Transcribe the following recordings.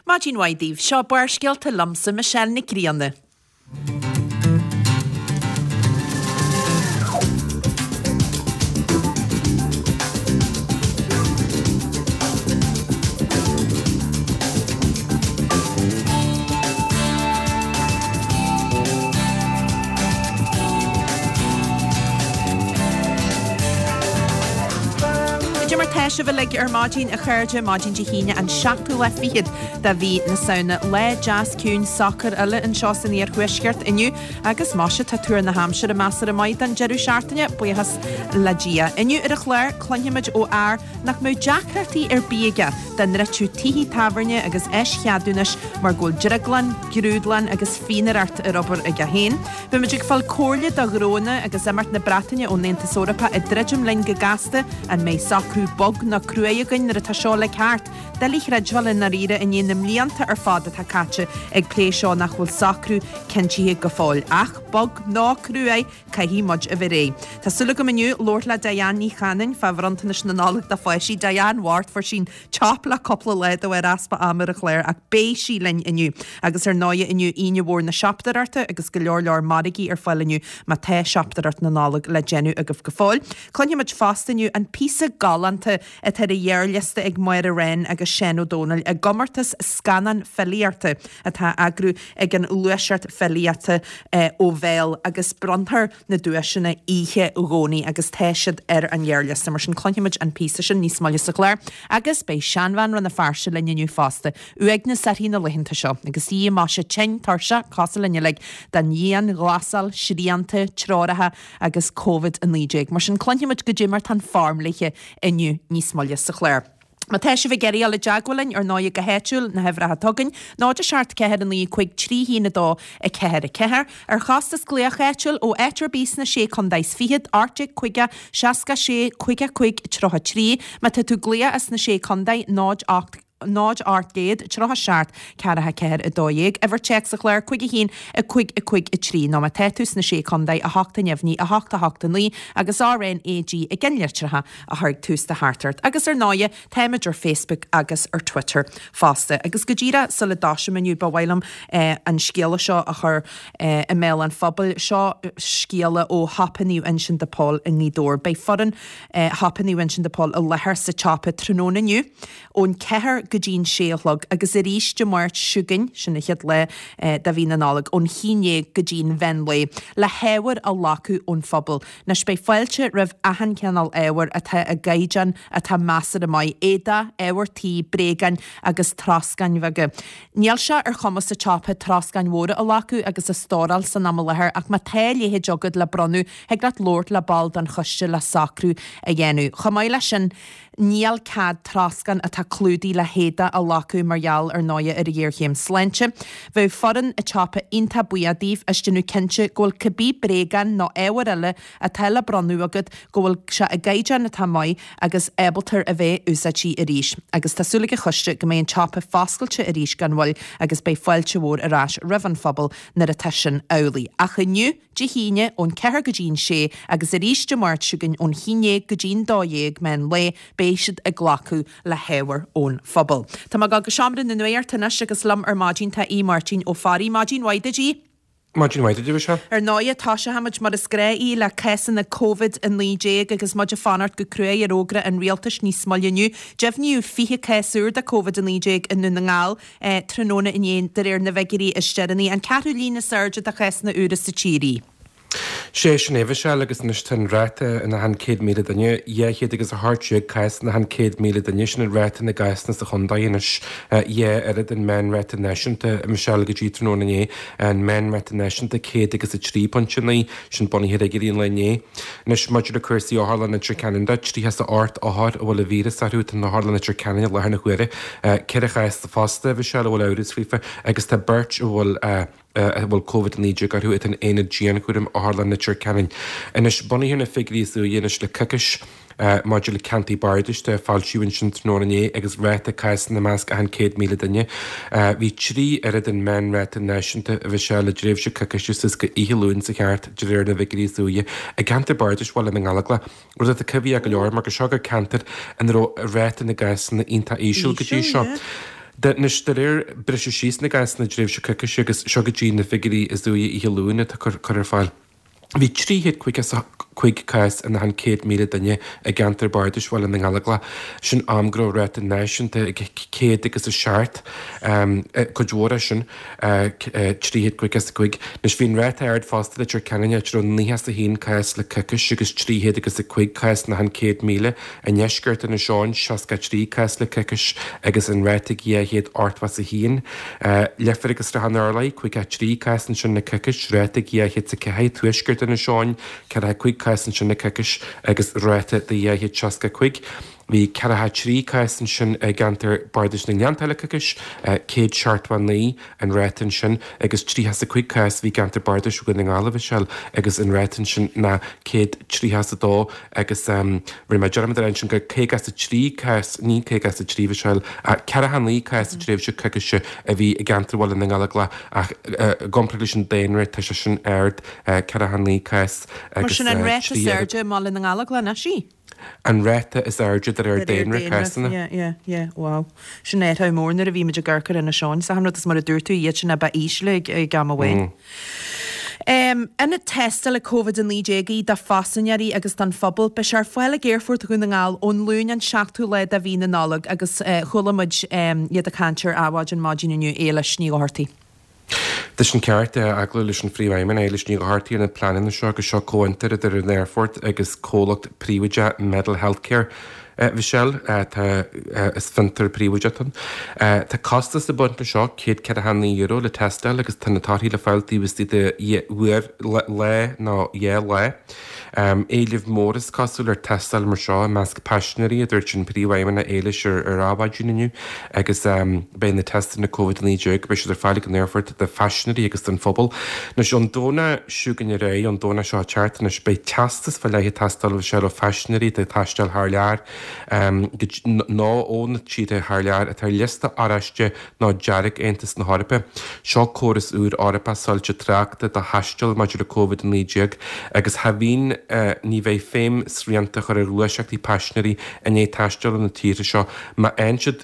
Maidin mhaith daoibh, seo Barrscéalta liomsa, Michelle Nic Grianna. Cad é mar tá sibh uilig ar maidin, a chairde, maidin Dé hAoine an seachtú lá fichead de mhí na Samhna. Lá deas ciúin socair eile anseo san iarthuaisceart inniu agus maise tá tuar na haimsire measartha maith don deireadh seachtaine, buíochas le Dia. Inniu ar an chlár, cluinfimid ó fhear nach mbeadh deacrachtaí ar bith aige dá ndruidfeadh tithe tábhairne agus eischeadúnais mar go bhfuil drioglann, grúdlann agus fíonaireacht ar obair aige féin. Beimid ag fáil comhairle do ghnónna agus imeacht na Breataine ón Aontas Eorpach ag druidim linn go gasta. An mbeidh socrú bog nó cruaidh againn nuair atá seo uilig thart? Doiligh a chreidbheáil i ndáiríre i ndiaidh na mblianta ar fad atá caite ag plé seo nach bhfuil socrú cinntithe go fóill. Ach bog nó cruaidh, caithfidh muid a bheith réidh. Tá súil agam inniu labhairt le Diane Ní Chanainn fá bhronntanais na Nollag do pháistí. Diane bhocht, fuair sí an chop le cúpla lá de bharr easpa ama ar an chlár ach beidh sí linn inniu. Agus ar ndóighe inniu Aoine Mhór na Siopadóireachta agus go leor leor margaí ar fáil inniu má tá siopadóireacht na Nollag le déanamh agaibh go fóill. Cluinfimid fosta inniu an píosa galánta atá ar an ghearrliosta ag Máire Wren agus Seán Ó Domhnaill i gcomórtas scannán filíochta atá á eagrú ag an Ghluaiseacht Filíochta ó Bhéal agus bronnfar na duaiseanna oíche Dhomhnaigh agus tá siad ar an ghearrliosta. Mar sin cluinfimid an píosa sin níos moille sa chlár agus beidh seanbhean Rann na Feirste linn inniu fosta. Uaigneas uirthi na laethanta seo agus í maise tinn tuirseach cosúil linn uilig den dhianghlasáil, srianta, treoracha agus Covid-19. Mar sin cluinfimid goidé mar tá an form léithe inniu níos moille sa chlár. Má tá sibh ag iarraidh dul i dteagmháil linn, ar ndóighe go háitiúil, na huimhreacha atá againn, 0 7 4 9 5 3 1 2 4 4. Ar chostas glaoch áitiúil ó áit ar bith sna Sé Contae is Fichead, 18 50 66 55 33. Má tá tú ag glaoch as na Sé Contae, 0 8 0 800 37 4 4 12. Uimhir téacs an chláir, 5 1 5 5 3. Nó má tá tú sna Sé Contae, 8 neamhní, 8 8 9 agus RNAG i gceannlitreacha a chur ag tús do theachtaireacht. Agus ar ndóighe, táimid ar Facebook agus ar Twitter fosta. Agus go díreach sula dtoisim inniu, ba mhaith liom an scéala seo a chur i mbéal an phobail. Seo scéala ó Shiopa Naomh Uinseann de Pól i nGaoth Dobhair. Beidh foireann Shiopa Naomh Uinseann de Pól i láthair sa tsiopa tráthnóna inniu ón ceathair go dtí'n sé a chlog agus arís Dé Máirt seo chugainn, sin an chéad lá de mhí na Nollag, ón haon dhéag go dtí'n mheán lae, le hábhar a ghlacadh ón phobal. Anois beidh fáilte roimh achan cineál ábhair atá i gcaighdeán atá measartha maith, éadach, ábhar tí, bréagáin agus troscáin bheaga. Níl sé ar chumas an tsiopa troscáin mhóra a ghlacadh agus a stóráil san am i láthair ach má tá a leithéid agat le bronnadh thig leat labhairt le ball den choiste le socrú a dhéanamh. Chomh maith leis sin, Níl cead troscán atá clúdaithe le héadach a ghlacadh mar gheall ar ndóighe ar an ghéarchéim sláinte. Bheadh foireann an tsiopa iontach buíoch daoibh as déanamh cinnte go bhfuil cibé bréagáin nó ábhar eile atá le bronnadh agat go bhfuil sé i gcaighdeán atá maith agus ábalta a bheith úsáidte arís. Agus tá súil ag an choiste go mbeidh an tsiopa foscailte arís gan mhoill agus beidh fáilte mhór ar ais roimh an phobal nuair atá sin amhlaidh. Ach inniu, Dé hAoine ón ceathair go dtí'n sé agus arís Dé Máirt seo chugainn ón haon dhéag go dtí'n dó dhéag meán lae beidh siad ag glacadh le hábhar ón phobal. Tá mé ag dul go Seomra na Nuachta anois agus liom ar maidin tá Aodh Máirtín Ó Fearraigh. Maidin mhaith duit Aodh. Maidin mhaith duit a Mhichelle. Ar ndóighe toiseochaimid mar is gnáth Aodh le cásanna Covid-19 agus muid ag fanacht go cruaidh ar fhógra an rialtais níos moille inniu. Deimhníodh 20 cás úr de Covid-19 i nDún na nGall. tráthnóna inné, de réir na bhfigiúirí is deireanaí, an ceathrú líon is airde de chásanna úra sa tír í. Sé sin é, a Mhichelle, agus anois tá an ráta in achan 100,000 duine, 200 agus 18 cás in achan 100,000 duine, sin an ráta na gcásanna sa chontae anois, dhá oiread an meánráta náisiúnta, a Mhichelle, go dtí tráthnóna inné, an meánráta náisiúnta 100 agus 3.9, sin bunaithe ar fhigiúirí an lae inné. Anois, maidir le cúrsaí Otharlann Leitir Ceanainn de, 38 othar a bhfuil an víreas orthu atá in Otharlann Leitir Ceanainn i láthair na huaire. 4 chás fosta, a Mhichelle, a bhfuil amhras faofa agus tá beirt a bhfuil a bhfuil Covid-19 orthu atá in aonad dianchúraim Otharlann Leitir Ceanainn. Anois, bunaithe ar na figiúirí is úire anois le coicís, maidir le ceantair bardais de, foilsíodh ansin tráthnóna inné agus ráta cásanna i measc achan 100,000 duine. Bhí 3 oiread an meánráta náisiúnta a Mhichelle i dtréimhse coicíse suas go oíche Luain seo thart de réir na bhfigiúirí is úire i gceantar bardais Bhaile na nGallóglach, rud atá coimhthíoch go leor mar gur seo gur ceantar ina raibh ráta na gcásanna iontach íseal go dtí seo. Anois, de réir briseadh síos na gcásanna i dtréimhse coicíse agus seo go dtí na figiúirí is deireanaí oíche Luain atá curtha ar fáil, bhí 355 cás in achan 100,000 duine i gceantar bardais Bhaile na nGallóglach. Sin am go raibh ráta náisiúnta ag 107, cuid mhór é sin, 355. Anois, bhí an ráta ard fosta i Leitir Ceanainn, áit a raibh 91 cás le coicís agus 305 cás in achan 100,000. I ndeisceart Inis Eoghain, 63 cás le coicís agus an ráta ag 281. Leifear agus Srath an Turlaigh, 53 cás ansin le coicís, ráta ag 204. Tuaisceart Inis Eoghain, 45 cás ansin le coicís agus ráta de 265. Bhí 43 cás ansin i gceantar Bardais na nGleanntach le coicís, 179. an ráta ansin agus 35 cás a bhí i gceantar bardais Dhún na nGall a Mhichelle agus an ráta ansin ná 132 agus rinne mé dearmad a rá ansin gur 53 cás, ní 53 a Mhichelle, ach 49 cás sa tréimhse coicíse a bhí i gceantar Bhaile na nGallóglach ach i gcomparáid leis an daonra tá sé sin ard, 49 cás Mar agus sin an ráta is airde i mBaile na nGallóglach anois í? An ráta is airde de réir daonra cásanna. Yeah, yeah, yeah, wow. Sin athrú mór nuair a bhí muid ag amharc ar Inis Eoghain. Is achan rud is mar a dúirt tú, iad sin a ba ísle ag am amháin. Ionad tástála Covid-19 do phaisinéirí agus don phobal. Beidh sé ar fáil ag Aerfort Dhún na nGall ón Luan an 7ú lá de mhí na Nollag agus chuala muid iad ag caint ar Adhmhaidin maidin inniu, Éilis Ní Dhochartaigh. Tá sin ceart, agallamh leis an Phríomhfheidhmeannach, Éilis Ní Dhochartaigh ar na pleananna seo agus seo comhfhiontar idir an Aerfort agus comhlacht príobháideach Medel Healthcare. Mhichelle, tá, is fiontar príobháideach atá ann. Tá costas ag baint leis seo, €149 le tástáil agus tá na torthaí le fáil taobh istigh de uair, lá nó dhá lá. Éileamh mór is cosúil ar tástáil mar seo i measc paisinéirí, a dúirt an Príomhfheidhmeannach Éilis ar Adhmhaidin inniu agus beidh na teisteanna Covid-19, beidh siad ar fáil ag an aerfort do phaisinéirí agus don phobal. Anois ón Domhnach seo chugainn ar aghaidh, ón Domhnach seo ag teacht anois, beidh teastas fá leith ag teastáil ó phaisinéirí atá ag taisteal thar lear nó ó na tíortha thar lear atá ar liosta oráiste nó dearg Aontas na hEorpa. Seo córas úr Eorpach soilse tráchta do thaisteal maidir le Covid-19 agus cha bhíonn, ní bheidh feidhm srianta a chur ar ghluaiseachtaí paisinéirí i ndiaidh taisteal ó na tíortha seo má fhaigheann siad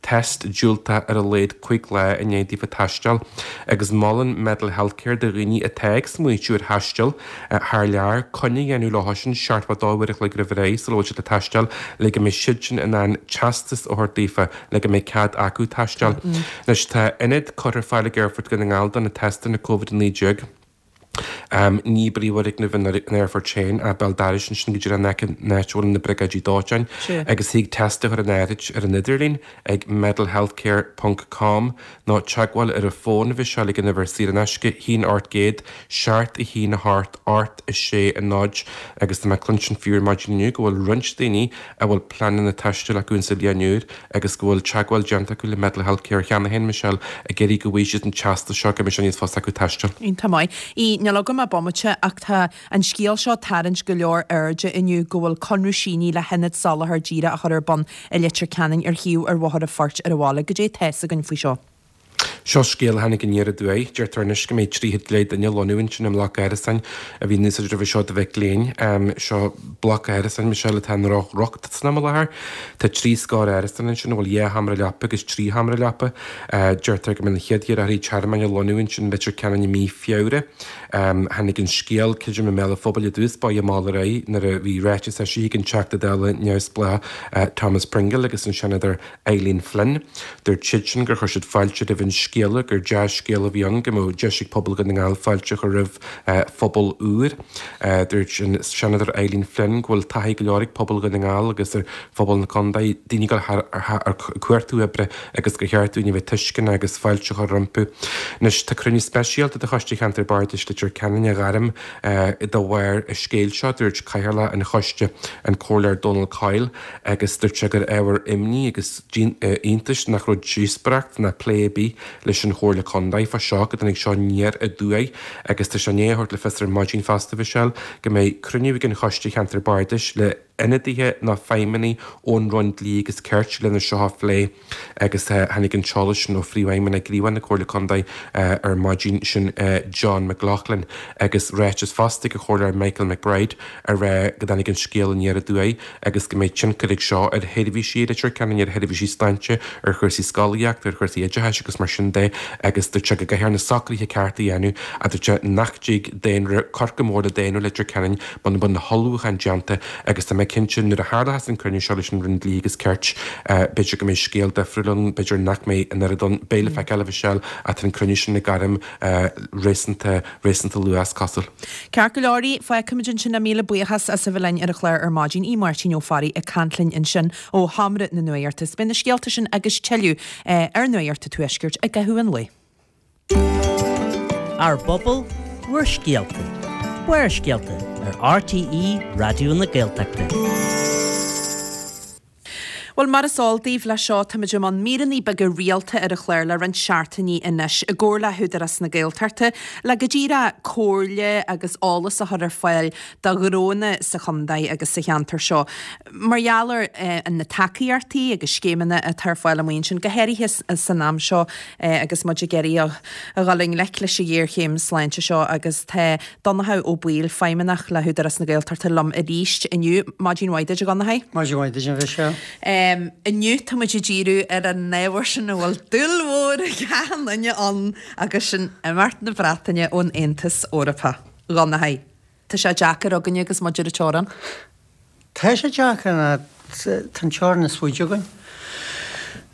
test diúltach ar a laghad 5 lá i ndiaidh daofa taisteal agus molann Medel Healthcare do dhaoine atá ag smaoitiú ar thaisteal thar lear, coinne a dhéanamh leo sin 72 uair a chloig roimh ré sula bhfuil siad ag taisteal le go mbeidh siadsan in ann teastas a thabhairt daofa le go mbeidh cead acu taisteal. Anois tá ionad curtha ar fáil ag Aerfort Dhún na nGall do na teisteanna Covid-19. Ní i bpríomhfhoirgneamh an aerfoirt féin ach béal dorais ansin go díreach in aice an áit a bhfuil na briogáidí dóiteáin agus thig teist a chur in áirithe ar an idirlíon ag medelhealthcare ponc com nó teagmháil ar an bhfón a Mhichelle ag an uimhir saor in aisce 1 800 7 1 8 8 6 0 agus tá mé ag cluinstin fiú ar maidin inniu go bhfuil roinnt daoine a bhfuil pleananna taistil acu insa bhliain úr agus go bhfuil teagmháil déanta acu le Medel Healthcare cheana féin, Michelle, ag iarraidh go bhfaighidh siad an teastas seo go mbeidh sé níos fusa acu taisteal. Iontach maith. Í, Níl agam ach bomaite ach tá an scéal seo ag tarraingt go leor airde inniu go bhfuil conradh sínithe le hionad soláthair díreach a chur ar bun i Leitir Ceanainn ar shuíomh ar Bhóthar an Phoirt ar an bhaile. Goidé tá fhios againn faoi seo? Seo scéal a tháinig aniar aduaidh. Deirtear anois go mbeidh 30 go leith duine ag lonnú ansin i mbloc árasáin a bhí in úsáid roimhe seo do mhic léinn. Seo bloc árasáin, Michelle, atá i ndrochriocht san am i láthair. Tá trí scór árasán ansin a bhfuil dhá sheomra leapa agus trí sheomra leapa. Deirtear go mbeidh na chéad iarrthóirí tearmainn ag lonnú ansin i Leitir Ceanainn i mí Feabhra. Tháinig an scéal, creidim, i mbéal an phobail i dtús báire mall ar aghaidh nuair a bhí ráiteas eisithe ag an Teachta Dála neamhspleách Thomas Pringle agus an Seanadóir Eileen Flynn. Dúirt siadsan gur chuir siad fáilte roimh an scéala, gur dea-scéala a bhí ann go mbeadh deis ag pobal Dhún na nGall fáilte a chur roimh phobal úr. Dúirt an Seanadóir Eileen Flynn go bhfuil taithí go leor ag pobal Dhún na nGall agus ar phobal na contae, daoine ag dul thar ag cuartú oibre agus gur cheart dúinn a bheith tuisceanach agus fáilte a chur rompu. Anois tá cruinniú speisialta de Choiste Cheantar Bardais Leitir Ceanainn á ghairm de bharr an scéil seo, dúirt Cathaoirleach an choiste, an Comhairleoir Donal Coyle. agus dúirt sé gur ábhar imní agus iontais nach raibh díospóireacht ná plé ar bith leis an Chomhairle Contae fá seo, go dtáinig seo aniar aduaidh agus tá sé i ndiaidh a thabhairt le fios ar maidin fosta, Mhichelle, go mbeidh cruinniú ag an Choiste Cheantar Bardais le. ionadaithe ná feidhmeannaigh ón Roinn Dlí agus Cirt lena seo a phlé agus tháinig an t-eolas sin ó Phríomhfheidhmeannach Gníomhach na Comhairle Contae ar maidin, sin John McLaughlin agus ráiteas fosta ag an Chomhairleoir Michael McBride a rá go dtáinig an scéal aniar aduaidh agus go mbeidh tionchar ag seo ar sheirbhísí i Leitir Ceanainn, ar sheirbhísí sláinte, ar chúrsaí scolaíochta, ar chúrsaí oideachais agus mar sin de agus dúirt sé go gcaithfear na socruithe cearta a dhéanamh ach dúirt sé nach dtig daonra cur chomh mór le daonra Leitir Ceanainn muna bhfuil na hullmhúcháin déanta agus tá mé cinnte nuair a tharlóchas an cruinniú seo leis an Roinn Dlí agus Cirt b'fhéidir go mbeidh scéal difriúil ann, b'fhéidir nach mbeidh an oiread ann, beidh le feiceáil a Mhichelle ach tá an cruinniú sin le gairm réasúnta réasúnta luath is cosúil. Ceart go leor, fágfaimid ansin é. Míle buíochas as a bheith linn ar an chlár ar maidin. Aodh Máirtín Ó Fearraigh ag caint linn ansin ó Sheomra na Nuachta. Beidh na scéalta sin agus tuilleadh ar Nuacht an Tuaiscirt i gcaitheamh an lae. Ár bpobal, bhur scéalta. Barrscéalta ar RTÉ Raidió na Gaeltachta. Bhuel, mar is eol daoibh, leis seo táimid i mbun míreanna beaga rialta ar an chlár le roinnt seachtainí anois, i gcomhar le hÚdarás na Gaeltachta, le go díreach comhairle agus eolas a chur ar fáil do ghnónna sa chontae agus sa cheantar seo mar gheall ar na tacaíochtaí agus scéimeanna atá ar fáil amuigh ansin, go háirithe san am seo agus muid ag iarraidh a dhul i ngleic leis an ghéarchéim sláinte seo agus tá Donnchadh Ó Baoill, Feidhmeannach le hÚdarás na Gaeltachta liom arís inniu. Maidin mhaith duit, a Dhonnchaidh. Maidin mhaith duit, a Mhichelle. Inniu tá muid ag díriú ar an ábhar sin a bhfuil dúil mhór ag achan duine ann agus sin imeacht na Breataine ón Aontas Eorpach. A Dhonnchaidh, tá sé deacair againne agus muid ar an teorainn. Tá sé deacair ná tá an teorainn is faide againn.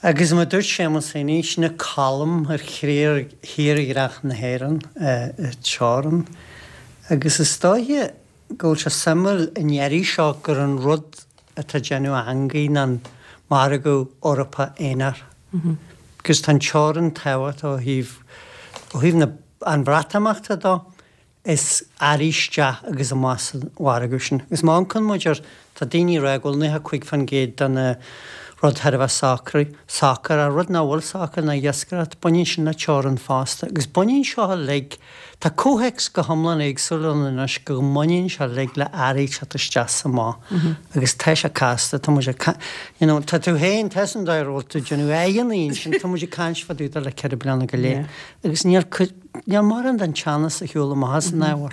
Agus mar a dúirt Séamus Heaney, sin an colm ar thírdhreach na hÉireann, an teorainn. Agus is dóiche go bhfuil sé suimiúil an iarraidh seo gur an rud atá ag déanamh eangaí ná an margadh Eorpach aonair. Agus tá an teorainn tábhachtach ó thaobh, ó thaobh na, an Bhreatimeachta dó. is earraí isteach agus amach sa mhargadh sin. Agus má amharcann muid air, tá daoine ag rá go bhfuil 95% de na rud thar a bheith socraithe, socair, ach rud nach bhfuil socair ná iascaireacht, baineann sin le teorainn fosta. Agus baineann seo uilig, tá comhthéacs go hiomlán éagsúil ann anois go mbaineann sé uilig le earraí teacht isteach is amach. Agus tá sé casta, tá muid ag, you know, tá tú féin, tá san dóigh ar bhfuil tú ag déanamh aghaidheanna ansin, tá muid ag caint fá dtaobh de le 4 bliana go leith. Agus níl cuid, Níl mórán den teannas ar shiúl amach as an ábhar.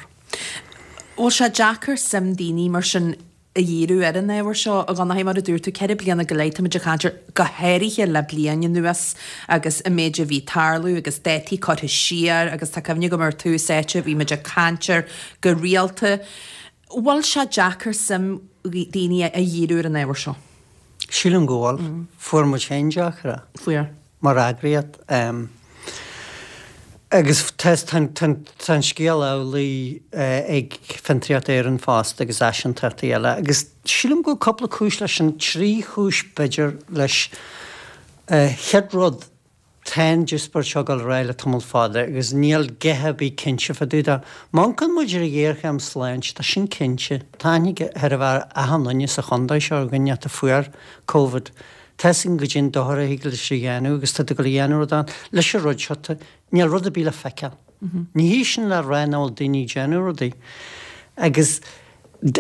Bhfuil sé deacair suim daoine mar sin a dhíriú ar an ábhar seo, a Dhonnchaidh? Mar a dúirt tú, 4 bliana go leith táimid ag caint air, go háirithe le bliain anuas agus an méid a bhí ag tarlú agus dátaí curtha siar agus tá cuimhne agam ar tús áite bhí muid ag caint air go rialta. Bhfuil sé deacair suim daoine a dhíriú ar an ábhar seo? Sílim go bhfuil. Fuair muid féin deacair é. Fuair. Mar eagraíocht. Agus tá an scéal amhlaidh ag Fiontraíocht Éireann fosta agus áisíntachtaí eile. Agus sílim go bhfuil cúpla cúis leis sin, trí chúis b'fhéidir leis. Chéad rud, Tá an díospóireacht seo ag dul ar aghaidh le tamall fada agus níl a dhath ar bith cinnte fá dtaobh de. Má amharcann muid ar an ghéarchéim sláinte, tá sin cinnte. Tá aithne ag chóir a bheith ar achan duine sa chontae seo ar dhuine a fuair Covid. Tá fhios againn goidé an dochar a thig leis a dhéanamh agus tá ag dul a dhéanamh rud ann. Leis an rud seo, tá, níl rud ar bith le feiceáil. Ní hé sin le rá nach bhfuil daoine ag déanamh rudaí. Agus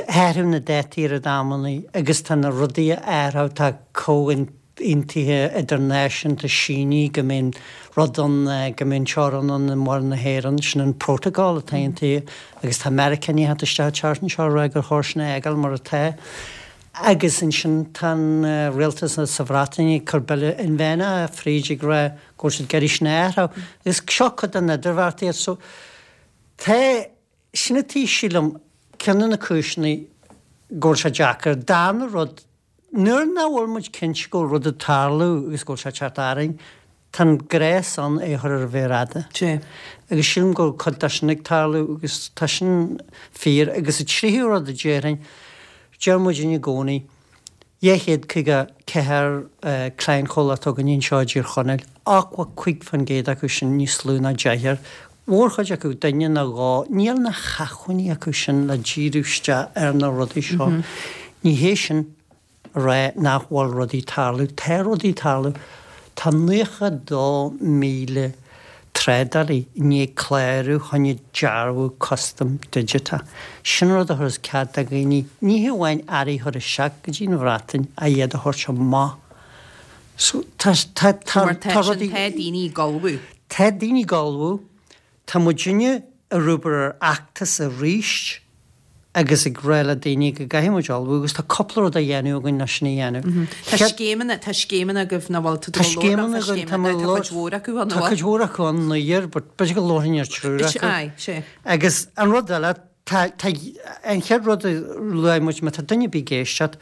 athrú na dátaí ar an amannaí agus tá na rudaí a athrú, tá comhaontú, aontuithe idirnáisiúnta sínithe go mbeidh an rud ann, go mbeidh an teorainn ann i Muir na hÉireann, sin an protocol atá aontaithe agus tá Meiriceánaigh ag teacht isteach an tseachtain seo ag rá gur chóir sin a fhágáil mar atá. Agus ansin tá an rialtas sa Bhreatain ag cur bille inmheánach fríd ag rá go bhfuil siad ag iarraidh sin a athrú. Agus seo cuid den idirbheartaíocht so tá, sin atá sílim ceann de na cúiseanna go bhfuil sé deacair. Darna rud, Nuair nach bhfuil muid cinnte go bhfuil rud ag tarlú agus go bhfuil sé ag teacht orainn, tá an gréas ann é a chur ar an mhéar fhada. Agus sílim go bhfuil cuid de sin ag tarlú agus tá sin fíor. Agus an tríú rud a déarfainn, deir muidinne i gcónaí, 254 clainchomhlacht againne anseo i dTír Chonaill, 85% acu sin níos lú ná deichniúr, mhórchuid acu duine nó dhó, níl na hacmhainní acu sin le díriú isteach ar na rudaí seo. Ní hé sin a rá nach bhfuil rudaí ag tarlú. Tá rudaí ag tarlú. Tá 92,000. trádálaí i ndiaidh clárú choinne dearbhú custaim digiteach. Sin rud a thabharfas cead do dhaoine ní hamháin earraí a chur isteach go dtí an Bhreatain ach iad a thabhairt amach. So tá tá tá Mar tá tá sin rudaí tá daoine ag ullmhú. Tá daoine ag ullmhú. Tá muidinne ag obair ar fheachtas arís agus ag rá le daoine go gcaithfidh muid ullmhú agus tá cúpla rud á dhéanamh againn leis sin a dhéanamh. Tá scéimeanna, tá scéimeanna agaibh nach bhfuil, tá Tá scéimeanna againn, tá tá cuid mhór acu ann, Tá cuid mhór acu ann, nuair, but b'fhéidir go labharfainn ar triúr acu. Aye, sé. Agus an rud eile, tá, tá, an chéad rud a luaigh muid, má tá duine ar bith ag éisteacht,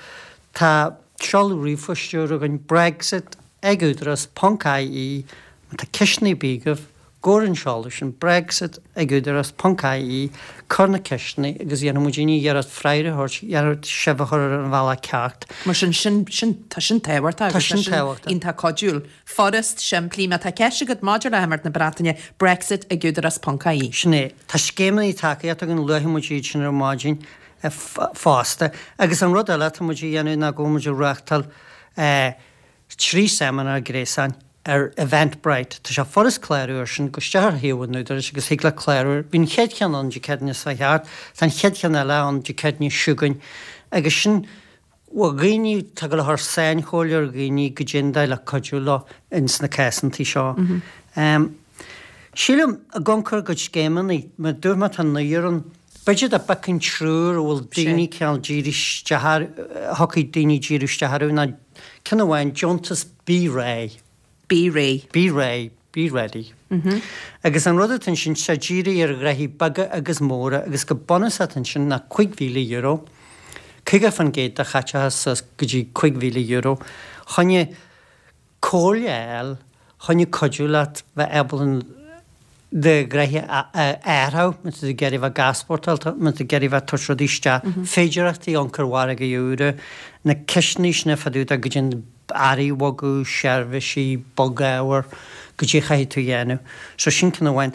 tá seoladh ríomhphoist úr againn, Brexit ag údarás ponc IE, má tá ceisteanna ar bith agaibh, Gabh ar an seoladh sin, Brexit ag Údarás ponc IE, cuir na ceisteanna agus dhéanfaidh muidinne iarracht freagra a thabhairt, iarracht sibh a chur ar an bhealach ceart. Mar sin, sin, sin, tá sin tábhachtach Tá agus tá sin sin tábhachtach. iontach cuidiúil. Furast, simplí, má tá ceist agat maidir le himeacht na Breataine, Brexit ag Údarás ponc IE. Sin é. Tá scéimeanna tacaíochta againn, luafaidh muid iad sin ar maidin fosta. Agus an rud eile atá muid a dhéanamh ná go bhfuil muid ag reáchtáil 3 seimineár gréasáin ar Eventbrite. Tá sé furast clárú air sin, gabh isteach ar shuíomh an Údaráis agus thig leat clárú air. Bhí an chéad cheann ann Dé Céadaoine seo thart, tá an chéad cheann eile ann Dé Céadaoine seo chugainn agus sin bhuel dhaoine atá ag dul a chur sainchomhairle ar dhaoine goidé an dóigh le cuidiú leo ins na cásantaí seo. Sílim, ag amharc ar a gcuid scéimeanna, mar a dúirt mé tá naonúr ann, B'fhéidir dá bpiocfainn triúr a bhfuil daoine cineál díriú isteach ar, a thiocfaidh daoine díriú isteach orthu ná ceann amháin, deontas Bí Réidh. Bí Réidh. Bí Réidh, Be Ready. Agus an rud atá ansin, tá sé dírithe ar ghnoithí beaga agus móra agus go bunúsach atá ansin ná €5,000, 50% de chaiteachas suas go dtí €5,000, choinne comhairle a fháil choinne cuidiú leat bheith ábalta do ghnoithe a athrú, má tá tú ag iarraidh bheith ag easpórtáil, má tá tú ag iarraidh bheith ag tabhairt rudaí isteach, féidearthachtaí ionchur mhargaidh úra, na ceisteanna sin fá dtaobh de goidé earraí a bhogadh, seirbhísí, bogábhar, goidé a chaithfidh tú a dhéanamh. So sin ceann amháin.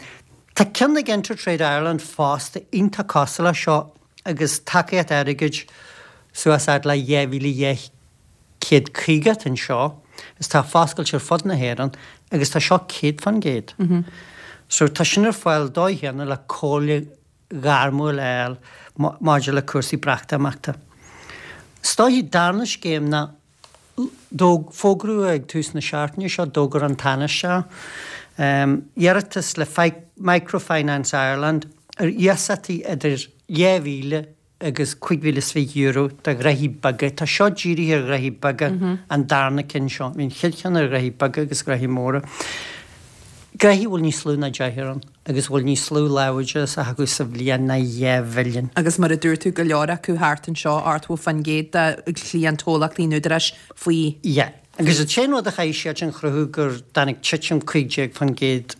Tá ceann ag InterTrade Ireland fosta iontach cosúil leis seo agus tacaíocht airgid suas fhad le 2,200 150 atá anseo is tá foscailte ar fud na hÉireann agus tá seo 100%. So tá sin ar fáil dóigh chéanna le comhairle ghairmiúil a fháil maidir le cúrsaí Breatimeachta. Is dóichí darna scéim ná fógraíodh ag tús na seachtaine seo, d'fhógair an Tánaiste iarratas le Microfinance Ireland ar iasachtaí idir 2,000 agus €5,020 do ghnoithí beaga. Tá seo dírithe ar ghnoithí beaga, an darna ceann seo. Bhí an chéad cheann ar ghnoithí beaga agus ghnoithí móra. Gnoithí a bhfuil níos lú ná deichniúr ann agus a bhfuil níos lú láimhdeachas acu sa bhliain ná 2 mhilliún. Agus mar a dúirt tú, go leor acu thart anseo, 80% de chliantchomhlachtaí an Údaráis faoi. Yeah. Agus an t-aon rud a chaithfidh siad sin a chruthú gur dtáinig titim 15%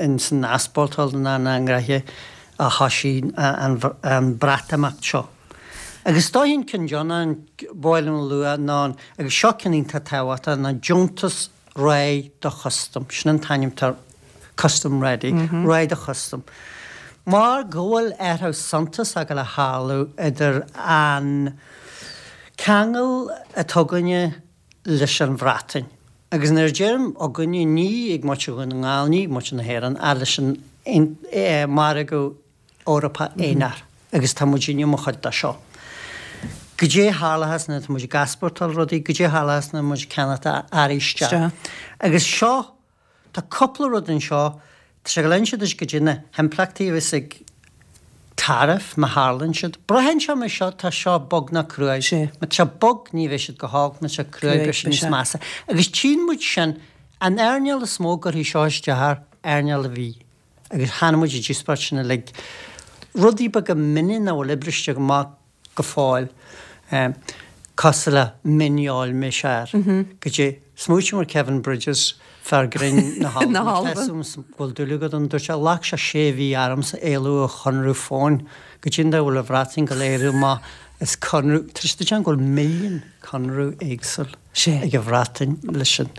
in san easpórtáil ná na ngraithe a thoisigh an Breatimeacht seo. Agus is dóichí an ceann deireanach ba mhaith liom a lua ná an, agus seo ceann iontach tábhachtach, ná deontas Réidh do Chustam. Sin an t-ainm atá air, Custom Ready, Réidh do Chustam. Mar go bhfuil athrú suntasach ag dul a tharlú idir an ceangal atá againne leis an Bhreatain. Agus nuair a deirim againne, ní ag muintir Dhún na nGall, ní ag muintir na hÉireann, ach leis an margadh Eorpach aonair. Agus tá muidinne mar chuid de seo. Goidé a tharlóchas nuair atá muid ag easpórtáil rudaí, goidé a tharlóchas nuair muid ag ceannacht earraí isteach. Agus seo Tá cúpla rud anseo, tá sé ag dul a inse duit goidé na himpleachtaí a bheas ag tariff má tharlaíonn siad. Braitheann sé mar seo, tá seo bog nó cruaidh. Sea. Má tá sé bog ní bheidh siad go holc, má tá sé cruaidh beidh siad níos measa. Agus tchíonn muid sin, an earnáil is mó a gcuirfidh seo isteach air, earnáil an bhídh. Agus chonaic muid an díospóireacht sin uilig. Rudaí beaga mion nach bhfuil oibriste amach go fóill, cosúil le mionfheoil más ea. Goidé, smaoiním ar Kevin Bridges, fear grinn na hAlban, tá 'fhios agam go bhfuil dúil agat ann, dúirt sé, ghlac sé sé mhí ormsa éalú ó chonradh fóin, goidé an dóigh a bhfuil an Bhreatain ag dul éirí amach as conradh, tá sé go bhfuil milliún conradh éagsúil ag an Bhreatain leis an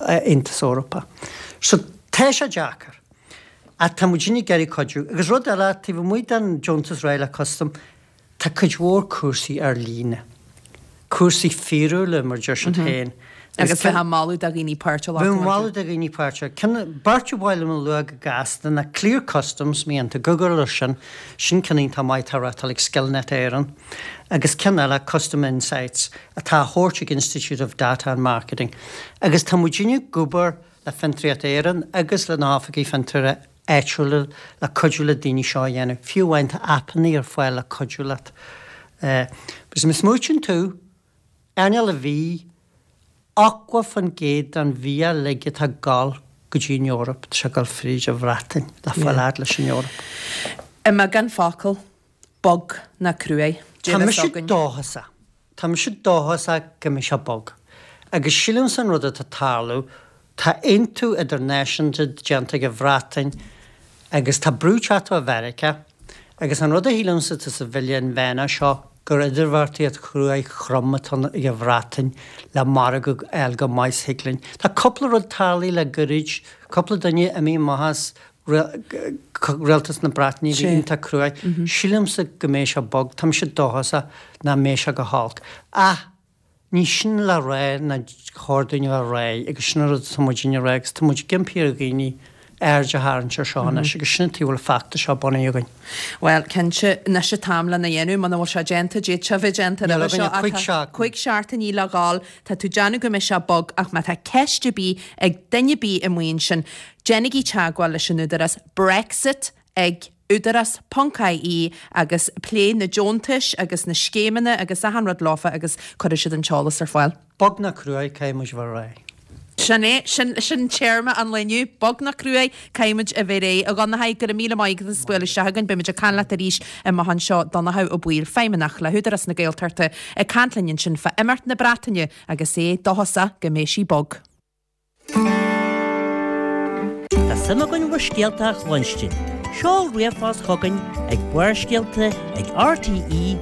Aontas Eorpach. So tá sé deacair. Ach tá muidinne ag iarraidh cuidiú. Agus rud eile, taobh amuigh den deontas Réidh le Custam, tá cuid mhór cúrsaí ar líne. Cúrsaí fíorúla, mar deir siad féin. Agus bheith ag moladh do dhaoine páirt a ghlacadh Bheith ag moladh do dhaoine páirt a Ceann, beirt a ba mhaith liom a lua go gasta ná Clear Customs, má dhéanann tú Google ar sin, sin ceann iontach maith atá á reáchtáil ag Skillnet Éireann, agus ceann eile Custom Insights atá á thabhairt ag Institute of Data and Marketing. Agus tá muidinne ag obair le Fiontraíocht Éireann agus le na hoifigí fiontair áitiúla le cuidiú le daoine seo a dhéanamh. Fiú amháin tá aipeanna ar fáil le cuidiú leat. Agus má smaoitíonn tú, Earnáil an bhídh, 80% den bhia uilig atá ag gabháil go dtí an Eoraip, tá sé ag gabháil fríd an Bhreatain le fáil fhad leis an Eoraip. I mbeagán focal, bog ná cruaidh. Tá mise dóchasach. Tá mise dóchasach go mbeidh sé bog. Agus sílimse an rud atá ag tarlú, tá aontú idirnáisiúnta déanta ag an Bhreatain agus tá brú ag teacht ó Mheiriceá agus an rud a shílimse atá sa bhille inmheánach seo gur idirbheartaíocht chruaidh throm atá ann ag an Bhreatain le margadh a fháil go maith is thig linn. Tá cúpla rud tarlaithe le goirid, cúpla duine imithe amach as rialtas na Breataine a bhí iontach cruaidh. Sílimse go mbeidh sé bog, tá mise dóchasach nach mbeidh sé go holc. Ach ní sin le rá nár chóir dúinn a bheith réidh agus sin an rud atá muidinne a rá agus tá muid ag impí ar dhaoine aird a tharraingt ar seo anois agus sin an tuige a bhfuil an feachtas seo bunaithe againn. Bhuel, cinnte, anois an t-am lena dhéanamh, muna bhfuil sé déanta, d'fhéadfadh sé a bheith déanta roimhe seo ach tá 5 seachtainí le dhul, tá tú ag déanamh go mbeidh sé bog ach má tá ceist ar bith ag duine ar bith amuigh ansin, déanaigí teagmháil leis an Údarás Brexit ag údarás ponc ie agus pléigh na deontais agus na scéimeanna agus achan rud leofa agus cuirfidh siad an t-eolas ar fáil. Bog ná cruaidh, caithfidh muid a bheith réidh. Sin é, sin, sin téarma an lae inniu, bog ná cruaidh, caithfidh muid a bheith réidh. A Dhonnchadha, go raibh míle maith agat as bualadh isteach chugainn, beidh muid ag caint leat arís amach anseo. Donnchadh Ó Baoill, Feidhmeannach le hÚdarás na Gaeltachta, ag caint linn ansin fá imeacht na Breataine agus é dóchasach go mbeidh sí bog. Tá suim againn bhur scéalta a chluinstin. Seol ríomhphost chugainn ag barrscéalta ag rte.ie.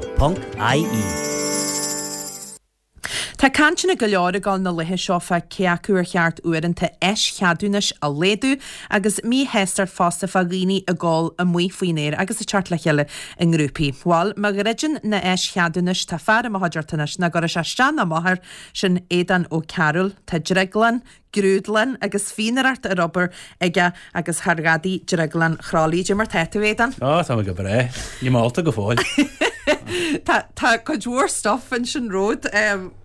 Tá cainteanna go leor ag dul na laetha seo fá cé acu ar cheart uaireanta eischeadúnais a laghdú agus míshástacht fosta fá dhaoine ag ól amuigh faoin aer agus ag teacht le chéile i ngrúpaí. Bhuel, má dhruideann na eischeadúnais tá fear i mo chuideachta anois nach gcuirfidh sé isteach ná amach air Sin Aodán Ó Cearúil. Tá drioglann, grúdlann agus fíonaireacht ar obair aige agus thar ghadaí Drioglann Chroithlí. Cad é mar tá tú, Aodán? Ó, tá mé go breá. Níl mé ólta go fóill. Tá, tá cuid mhór stuff ansin romhat.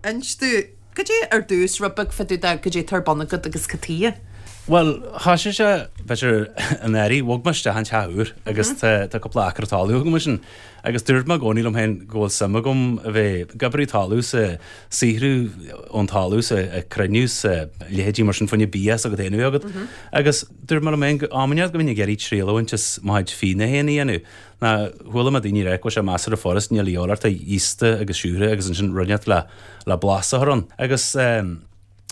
Inis domh, cad é ar dtús, rud beag fá dtaobh de cad é atá ar bun agat agus cad chuige? Bhuel, thoisigh sé, b'fhéidir, anuraidh, bhog mé isteach in teach úr agus tá, tá cúpla acra talaimh agam ansin. Agus dúirt mé i gcónaí liom féin go bhfuil suim agam a bheith ag oibriú talamh 's ag saothrú ón talamh 's ag cruinniú 's a leithéidí mar sin fá choinne bia s'agat féin a bheith agat. Agus dúirt mé liom féin go am inteacht go mbeinn ag iarraidh triail a bhaint as mo chuid fíona féin a dhéanamh. Ná chuala mé daoine ag rá go bhfuil sé measartha furast, níl a dhíobháil ort ach iasta agus siúcra agus ansin rud inteacht le le blas a chur ann. Agus.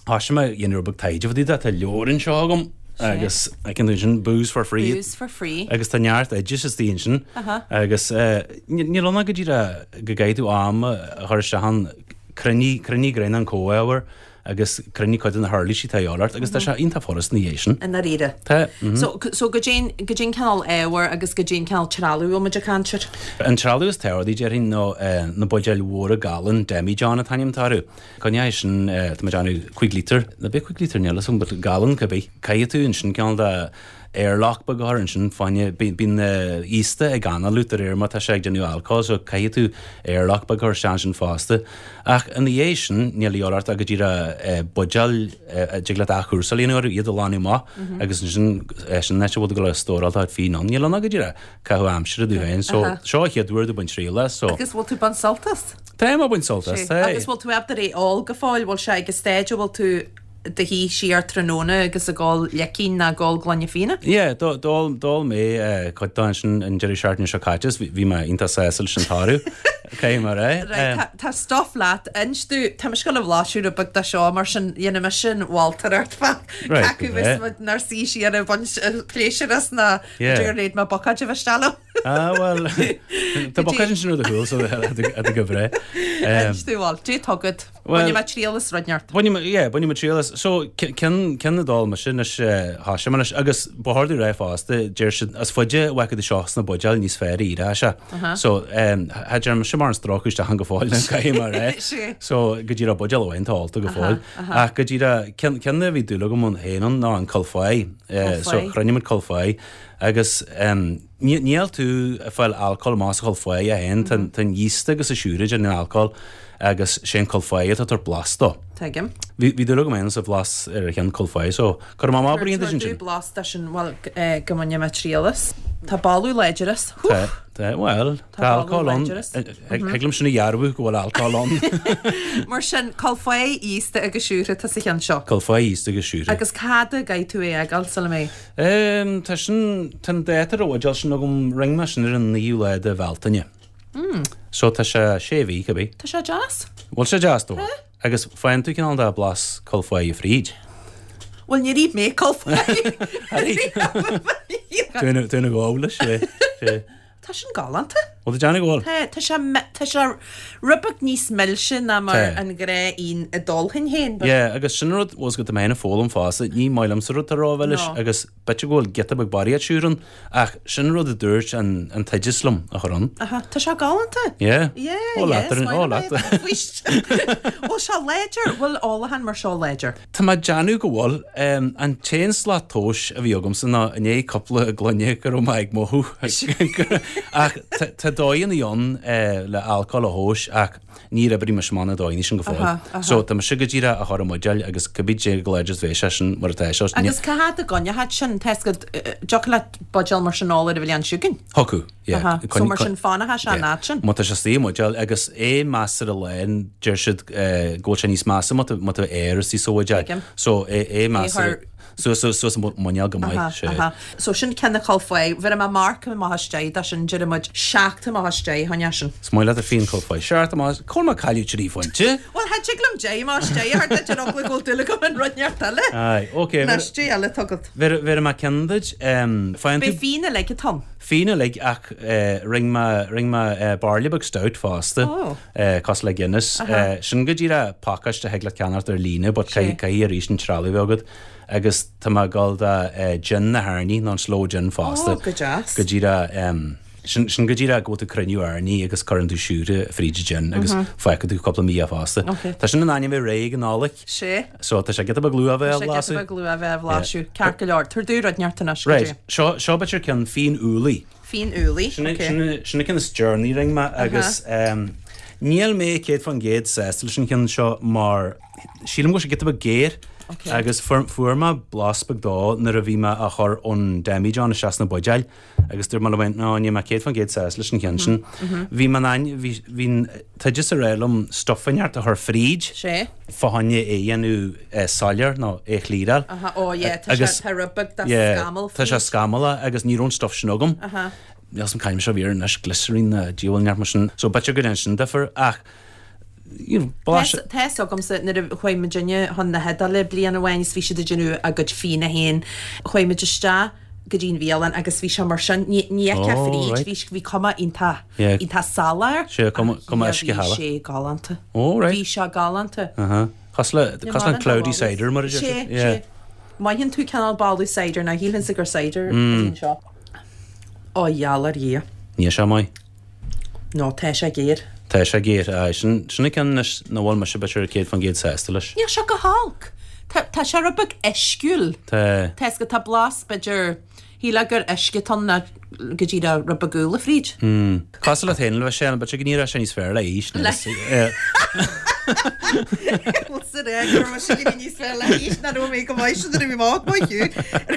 Thoisigh mé ag déanamh rud beag taighde fá dtaobh de, tá leabhar anseo agam agus feiceann tú ansin Booze for Free. Booze for Free. Agus tá neart oideas istigh ansin. Agus níl ann ach go díreach go gcaithfidh tú am a chur isteach ann, cruinnigh, cruinnigh greim an comhábhar agus cruinnigh cuid de na huirlisí atá a dhíobháil ort agus tá sé iontach furast ina dhiaidh sin. I ndáiríre. Tá. So, so cad é an, cad é an cineál ábhair agus cad é an cineál trealamh a bhfuil muid ag caint air. An trealamh is tábhachtaí déarfainn ná na buidéil mhóra galún, demijohn an t-ainm atá orthu. Coinneoidh sin, tá mé ag déanamh 5 lítear, nó b'fhéidir 5 lítear, níl a fhios agam, but galún cibé. Caithfidh tú ansin cineál de airlock beag a chur ansin fá choinne, bíonn iasta ag análú de réir mar tá sé ag déanamh alcóil so caithfidh tú airlock beag a chur isteach ansin fosta. Ach ina dhiaidh sin, níl a dhíobháil ort ach go díreach buidéil a dtig leat athchúrsáil a dhéanamh orthu, iad a ghlanadh amach agus ansin sin an áit a bhfuil tú ag dul a stóráil do chuid fíon ann. Níl ann ach go díreach caitheamh aimsire duit féin so seo an chéad uair domh baint triail as so. Agus bhfuil tú ag baint sult as? Táim ag baint sult as, tá. Agus bhfuil tú ábalta é a ól go fóill? Bhfuil sé ag an staid a bhfuil tú i do shuí siar tráthnóna agus ag ól leicín ná ag ól gloine fíona? Yeah, d'ól d'ól mé cuid dó ansin an deireadh seachtaine seo caite is bhí mé iontach sásta leis an toradh. Caithfidh mé a rá. Right, tá tá stuff leat. Inis domh, tá mise ag gabháil a bhlaiseadh rud beag de seo mar sin dhéanfaidh mise an mholtóireacht fá Right, cé acu go bheas breá. muid inár suí siar ag baint pléisiúr as ná Yeah. b'fhéidir gur léad mé bocáid a bheith isteach liom. Ah, bhuel, tá bocáid ansin ar do chúl so tá go breá. Inis domh, bhuel, cad é atá agat. Bainfidh mé triail as rud inteacht. Bainfidh mé, yeah, bainfidh mé triail as. So, ceann, ceann a d'ól mise anois, thoisigh mé anois, agus ba chóir domh a rá fosta, deir siad, is faide a bheadh tú seo sna buidéil níos fearr a éireoidh sé. So, cha dearn mise mórán stróiceadh isteach ann go fóill, caithfidh mé a rá. So, go díreach buidéal amháin atá ólta go fóill. Ach go díreach, ceann, ceann a bhí dúil agam ann féin ann ná an Culfáigh. So, chruinnigh muid Culfáigh agus níl tú ag fáil alcól amach as an Chulfáigh é féin, tá an yeast agus an siúire ag déanamh an alcóil. agus sé an Culfáigh atá ag tabhairt blas dó. Tuigim. Bhí bhí dúil agam féin sa bhlas ar an cheann Culfáigh so cuirfidh mé amach braon duit ansin. Tabhair blas de sin, bhuel go mbaine mé triail as. Tá boladh láidir as. Tá, tá, bhuel, tá alcól ann. Thig liom sin a dhearbhú go bhfuil alcól ann. Mar sin, Culfáigh íosta agus siúrtha atá sa cheann seo. Culfáigh íosta agus siúrtha. Agus cá fhad a gcaithfidh tú é a fhágáil sula mbeidh? Tá sin, tá an dáta ar an bhuidéal sin agam, rinne mé sin ar an naoú lá de Bhealtaine. So tá sé sé mhí, cibé. Tá sé deas. Bhfuil sé deas dó? Agus faigheann tú cineál de blas Culfáigh fríd. Bhuel, níor ith mé Culfáigh. Tú ina ghabh leis, sé. Sé. Tá sin galánta. Bhfuil tú déanamh go bhfuil? Tá, tá sé, tá sé rud beag níos milse ná mar Tá. an ghnáth-fhíon a d'ólfainn féin. but- Yeah, agus sin rud, bhfuil 's agat, tá mé féin ag foghlaim fosta, ní maith liomsa rud atá rómhilis No. agus B'fhéidir go bhfuil giota beag barraíocht siúcra ann, ach sin an rud a dúirt an an t-oideas liom a chur ann. Aha, tá sé galánta. Yeah. Yeah, Ó yeah, leat ar an, ó leat. Bhfuil sé láidir? Bhfuil ólachán mar seo láidir? Tá mé ag déanamh go bhfuil. An t-aon slat tomhais a bhí agamsa ná i ndiaidh cúpla gloine go raibh mé ag mothú. Ach tá dóigheanna ann le alcól a thomhas ach Níor oibrigh mise amach na dóigheanna sin go fóill. So, tá mise go díreach á chur i mbuidéal agus cibé cé chomh láidir is a bheidh sé sin mar atá sé. Agus cá fhad a gcoinneochadh sin? Tá 'fhios agat, dtiocfadh leat buidéal mar sin a ól ar an bhliain seo chugainn? Thiocfadh, yeah. So mar sin fanfaidh sé an fhad sin? Má tá sé istigh i mbuidéal agus é measartha lán, deir siad go bhfuil sé níos measa má tá aer istigh sa bhuidéal. So é measartha. Suas suas an muineál go maith, sé. Aha, So sin ceann na Culfáigh. Bhéarfaidh mé marc amach as 10 dó sin, déarfaidh muid 7 amach as 10 fá choinne sin. Is maith leat an fíon Culfáigh. Seacht amach as, cá bhfuil mé ag cailleadh 3 phointe? Bhuel, cha dtig liom 10 amach as 10 a thabhairt duit ar eagla go bhfuil dúil agam in rud inteacht eile. Aye, ok. Anois, cad é eile atá agat. Bhéarfaidh mé ceann duit. Faigheann tú. Beidh fíon uilig atá ann. Fíon uilig ach rinne mé, rinne mé bairille beag stout fosta. Oh. Cosúil le Guinness. Sin go díreach pacáiste a thig leat ceannacht ar líne but caithfidh arís an trealamh a bheith agat agus tá mé ag dul do gin na hairní nó an sloe gin fosta. Oh, go deas. Go díreach sin sin go díreach go bhfuil tú ag cruinniú airní agus cuireann tú siúcra fríd an gin agus fágfaidh tú cúpla mí é fosta. Tá sin in ainm a bheith réidh ag an Nollaig. Sé. So tá sé giota beag luath a bheith á Tá sé giota bhlaiseadh. beag luath a bheith á bhlaiseadh. Ceart go leor. Tabhair domh rud inteacht anois, go Right, dtí. seo seo b'fhéidir ceann fíon úllaí. Fíon úllaí, Sin ok. sin an ceann is deireanaí a rinne mé agus níl mé 100% sásta leis an cheann seo mar sílim go bhfuil sé giota beag géar Ok. agus fuair fuair mé blas beag dó nuair a bhí mé á chur ón demijohn isteach sna buidéil agus dúirt mé liom féin, no níl mé 100% sásta leis an cheann sin. Bhí mé in ainm, bhí bhí an t-oideas ag rá liom stuif inteacht a chur fríd. Sé. Fá choinne é a dhéanamh soiléir nó é a chliaráil. Aha, ó yeah, tá sé, tá rud beag de scamall Tá sé scamallach agus ní raibh an stuif sin agam. Aha. Níl 'fhios a'm c'ainm seo a bhí air anois, glycerine nó diabhal inteacht mar sin. So b'fhéidir go dtéann sin difear ach you know, blas. Tá 'fhios agamsa nuair a chuaigh muidinne chun na hIodáile bliain amháin is bhí siad ag déanamh a gcuid fíona féin, chuaigh muid isteach go dtí an bhialann agus bhí sé mar sin, ní fheicfeá Oh, fríd, right. bhí, bhí cuma iontach, Yeah. iontach salach air. Sé, cuma, cuma Bhí uisce shalach. sé galánta. Oh, right. Bhí sé galánta. Uh-huh. Cosúil le, cosúil le cloudy cider mar a deir Sé, siad. Yeah. sé. Mothaíonn tú cineál boladh cider ná shílfinnse gur cider a bhí anseo. Ó, gheall ar Dhia. Níl sé maith. No, tá sé géar. Tá sé géar, aye. Sin, sin an ceann anois nach bhfuil mise b'fhéidir 100% sásta leis. Níl sé go holc. Tá, tá sé rud beag uisciúil. Tá. Tá 'fhios agat, tá blas, b'fhéidir, shílfeá gur uisce atá ann ná go díreach rud beag úlla fríd. Hmm. Cosúil leat féin, bheadh sé, b'fhéidir go n-éireodh sé níos fearr le haois, Le. Bhfuil sa rá go raibh mise ag éirí níos fearr le haois ná raibh mé go maith sin nuair a bhí mé óg, maith thú.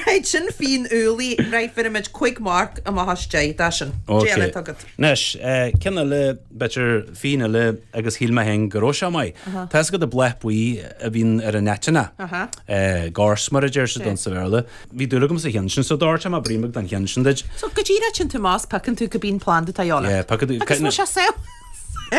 Right, sin fíon úllaí, right, bhéarfaidh muid 5 marc amach as 10 dó sin. Ok. Cad é eile atá agat. Anois, ceann eile, b'fhéidir fíon eile agus shíl mé féin go raibh sé maith. Tá 'fhios agat an bláth buí a bhíonn ar an aiteannach, gorse mar a deir siad ann sa Bhéarla. Bhí dúil agam sa cheann sin, so doirtfidh mé braon beag den cheann sin duit. So go díreach téann tú amach is piocann tú cibé planda atá de dhíth ort. Yeah, piocann tú. Agus bhfuil sé saor?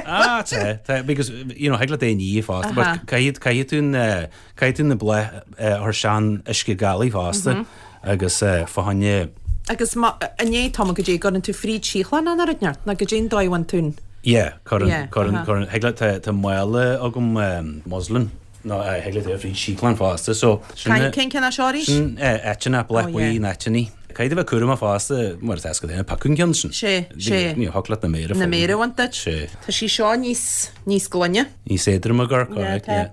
Ah, tá, tá, because, you know, thig leat é a ní fosta, but caithfidh, caithfidh tú na, caithfidh tú na bláth a chur isteach in uisce galaí fosta agus fá choinne. Agus má, inné tá go dtí go gcuireann tú fríd síothlán an rud inteacht, nó go dtí an dóigh a bhfuil tú. Yeah, cuireann, cuireann, cuireann, thig leat, tá, tá mála agam muslin, nó thig leat é a fríd síclán fosta, so sin, Cén ceann é seo arís? sin aiteanna, bláth buí na n-aiteannaí. Caithfidh tú a bheith cúramach fosta, mar atá a fhios agat féin, ag piocadh an ceann sin. Sé, sé. Ní thiocfadh leat na méara Na méara a bhaint duit. Sé. Tá sí seo níos, níos glaine. Níos éadroime ag amharc, Yeah, alright, tá. yeah.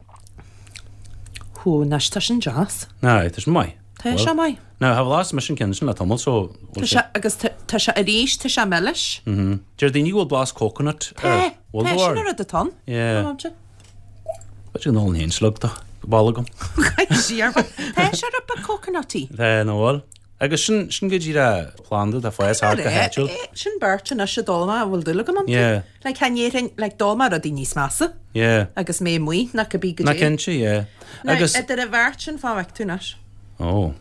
Hú, anois tá sin deas. Aye, tá sin maith. Tá sé maith. Now, tha bhlas mise an ceann sin le tamall so Tá sé, agus tá sé arís, tá sé milis. Mhm. Deir daoine go bhfuil blas coconut Tá, air. Bhfuil tá, do sin bharr? an rud atá ann. Yeah. Tá sé. B'fhéidir go n-ólann féin slug de ball agam. Siar. Tá sé rud beag coconutty. Tá, nó bhfuil? Agus sin, sin go díreach planda atá ag fás thart go háitiúil. Sin beirt anois a d'ól mé a bhfuil dúil agam iontu. Yeah. Like, chan déarfainn, like, d'ól mé rudaí níos measa. Yeah. Agus mé amuigh, nach cibé go Ná dté. cinnte, yeah. Now, Agus. idir an bheirt sin fá bhfeic tú anois. Ó.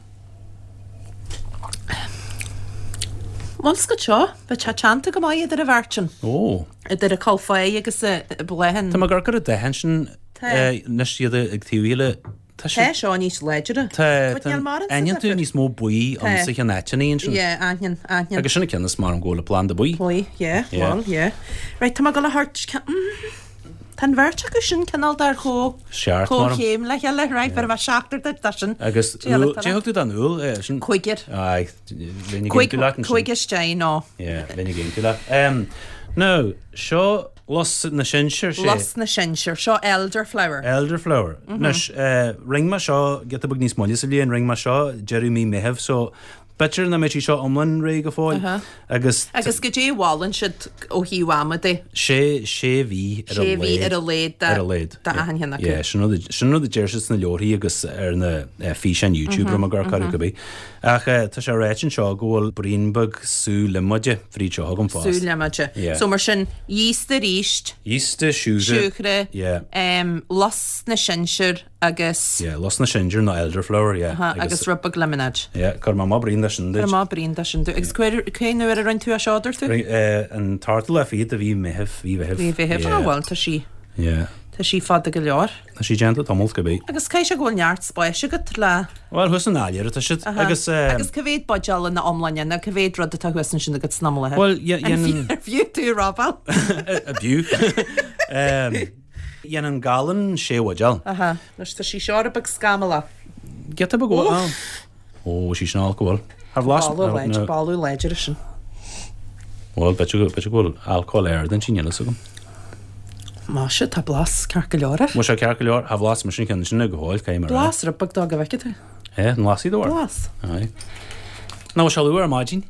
Bhuel, scoth seo, bheadh sé teannta go maith idir an bheirt sin. Ó. Idir an Colfoy agus an Bláithín. Tá mé ag amharc ar an dath ansin Tá. anois iad ag taobh a chéile. Tá Tá sé. seo níos láidre. Tá, But tá níl mórán sa aithníonn tú difear. níos mó buí Tá. ann sa cheann aiteannaí ansin. Yeah, aithníonn, aithníonn. Agus sin an ceann is maith liom go bhfuil an planda buí. Buí, yeah, Yeah. bhuel, yeah. Right, tá mé ag dul a thabhairt ceann, mm. Tá an bheirt acu sin cineál dar chomh Seart mar. chéim le chéile, right, bheir mé seachtar duit dá sin. Agus úll, cé thug tú don úll é sin? Cúigear. Aye, bheinn ag aontú leat ansin. Cúig istigh, no. Yeah, bheinn ag aontú leat. Um, now, seo lus na sinsear, sé. Lus na sinsear, seo elderflower. Elderflower. Anois, eh, rinne mé seo giota beag níos moille sa bhliain, rinne mé seo deireadh mí Meitheamh, so B'fhéidir nach mbeidh sí seo iomlán réidh go fóill agus. Agus goidé a mholann siad ó thaobh ama de? Sé, sé mhí ar a Sé mhí laghad. ar a laghad Ar a laghad. d'achan cheann acu. Yeah, sin rud a, sin rud a deir siad sna leabharthaí agus ar na físeáin YouTube a raibh mé ag amharc orthu cibé. Ach tá sé ráite anseo go bhfuil braon beag sú liomóide fríd seo agam fosta. Sú liomóide. Yeah. So mar sin, giosta arís. Giosta, siúcra. Siúcra. Yeah. Lus na sinsear. agus. Yeah, lus na sinsear nó elderflower, yeah. Aha, agus rud beag líomanáid. Yeah, cuirfidh mé amach braon de sin duit. Cuirfidh mé braon de sin duit. Agus cén uair a rinne tú é seo, dúirt tú? An t-ochtú lá fichead de mhí Mheithimh, mhí Mheithimh. Mhí Mheithimh, ah bhuel, tá sí. Yeah. Tá sí fada go leor. Tá sí déanta tamall cibé. Agus caithfidh sé go bhfuil neart spáis agat le. Bhuel, thuas san áiléar atá siad. Aha. Agus. Agus cá mhéad buidéal ina iomláine nó cá mhéad rud atá thuas ansin agat san iomláine? Bhuel, dhéanann. Ar fiú tú a robáil? B'fhiú. Dhéanann galún sé bhuidéal. Aha. Anois tá sí seo rud beag scamallach. Giota beag ó. Ó, sí sin olc go bhfuil. Thar bhlas. Boladh láidir, boladh láidir é sin. Bhuel, b'fhéidir go bhfuil alcól ard inti, níl fhios agam. Maise, tá blas ceart go leor air. Bhfuil sé ceart go leor? Tha bhlas mise an ceann sin go fóill, caithfidh mé a rá. Blas rud beag dó go bhfeicfidh tú. É, an lasfaidh do Blas. Aye. Ná bhfuil sé luath ar maidin?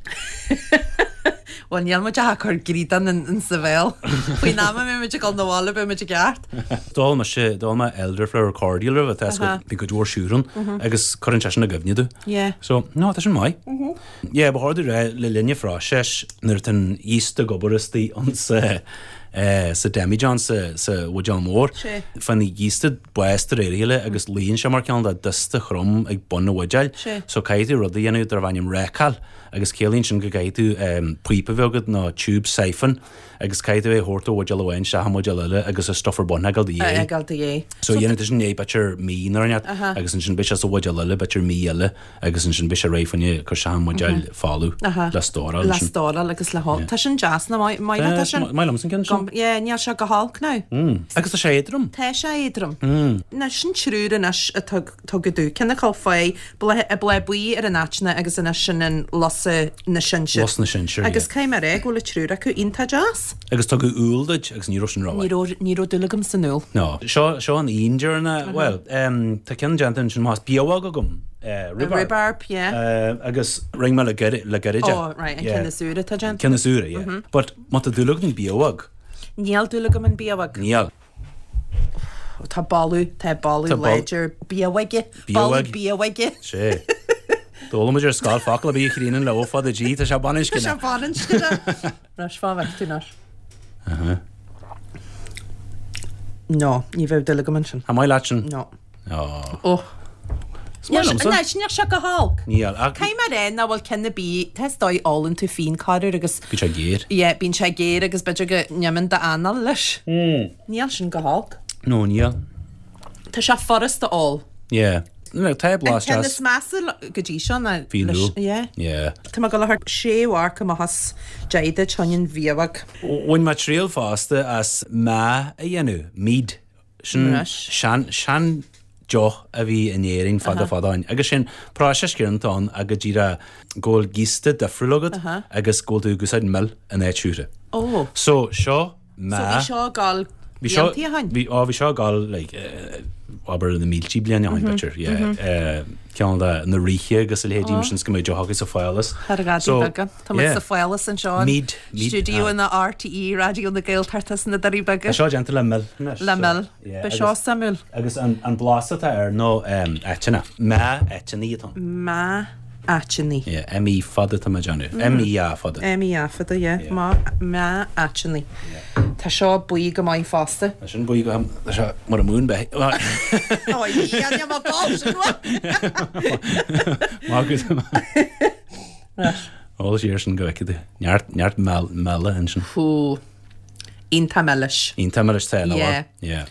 Bhuel, níl muid ach ag cur gríodán in sa bhéal. Faoin am a mbeidh muid ag dul 'na bhaile beidh muid i gceart. D'ól mise, d'ól mé Elderflower Cordial roimhe, tá bhí cuid mhór siúcra ann agus cuireann sé sin i gcuimhne domh. Yeah. So, no, tá sin maith. Yeah, ba chóir domh rá, le linn an phróisis, nuair atá an yeast ag obair istigh ann sa demijohn, sa sa bhuidéal mór, faigheann an yeast bás de réir a chéile agus luíonn sé mar cineál de dusta throm ag bun an bhuidéil. So caithfidh tú rud a dhéanamh darb ainm rácáil agus ciallaíonn sin go gcaithfidh tú píopa a bheith agat nó tube siphon agus caithfidh tú é a thabhairt ó bhuidéal amháin isteach i mbuidéal eile agus an stuff ar bun a fhágáil de A fhágáil de dhéidh. So dhéanann tú sin é b'fhéidir mí nó rud inteacht agus ansin beidh sé sa bhuidéal eile b'fhéidir mí eile agus ansin beidh sé réidh fá choinne cur isteach i mbuidéal folamh le stóráil Le stóráil agus le hól. Tá sin deas nach maith leat é sin? Maith liomsa an ceann sin. Yeah, níl sé go holc now. Agus tá sé éadrom. Tá sé éadrom. Now sin triúr anois a tugadh domh. Ceann acu faoi bláth buí ar an aiteanna agus anois sin an lus na sinsear. Lus na sinsear, yeah. Agus caithfidh mé a rá go bhfuil an triúr acu iontach deas. Agus tugadh úll duit agus ní raibh sin rómhaith. Ní raibh, ní raibh dúil agam san úll. No. Seo, seo an fhíon deireanach, bhuel, tá ceann déanta ansin, más biabhóg agam, rhubarb. Rhubarb, yeah. Agus rinne mé le gairid, le gairid é. Oh, right, an ceann is úire atá déanta. Ceann is úire, yeah. But má tá dúil agat in biabhóg. Níl dúil agam in biabhóg. Níl. Tá boladh, tá boladh láidir biabhóige. Boladh biabhóige. Sé. D'fhoghlaim muid ar scoil focal ar bith a chríonann le O fada G, tá sé baininscneach. Tá sé baininscneach. Anois, fá bhfeic tú anois. Aha. No, ní bheadh dúil agam ansin. An maith leat sin? No. Ó. Ó. Is maith liomsa. Anois, níl sé go holc. Níl, ach. Caithfidh mé a rá nach bhfuil ceann ar bith, tá is dóigh ólann tú fíon corruair agus. Bíonn sé géar. Yeah, bíonn sé géar agus b'fhéidir go n-imíonn d'anáil leis. Níl sin go holc. No, níl. Tá sé furasta ól. Yeah. tá blas An ceann deas. is measa go dtí seo ná Fíon leis, úll. yeah. Yeah. Tá mé ag dul a thabhairt sé mharc amach as 10 duit fá choinne an bhiabhag. Bhain mé triail fosta as meá a dhéanamh, mead. Sin Anois. sean, sean deoch a bhí in Éirinn fada fada ó shin. Agus sin próiseas céanna atá ann ach go díreach go bhfuil giosta difriúil agat agus go bhfuil tú ag úsáid mil in áit siúcra. Ó. So seo meá. So bhí seo ag gabháil Bhí seo, blianta ó shin? bhí, ó bhí seo ag gabháil like eh, abair na mílte bliain ó shin b'fhéidir, yeah. Eh, ceann de na ríthe agus a leithéidí mar sin is go mbeadh deoch acu sa phálás. Thar a So, Beaga. Tá muid yeah. sa phálás anseo in Mead, mead, stiúideo aye. na RTÉ Raidió na Gaeltachta sna Doirí Beaga. Tá seo déanta le mil anois. Le so, mil. yeah, Ba seo agus- suimiúil. Agus an, an blas atá air ná um, aiteannach. Meá aiteannaí atá ann. Meá aiteannaí. Yeah, M-E fada atá mé ag déanamh. M-E-A fada. M-E-A fada, yeah. Má, meá aiteannaí. Tá seo buí go maith fosta. Tá sin buí go, tá seo mar a múin beith. Ó, yeah, níl mé ag gabháil sin uaim. Maith agat. Ól siar sin go bhfeicfidh tú. Neart, neart meala ansin. Hú. Iontach milis. Iontach milis tá, nach bhfuil? Yeah. Yeah.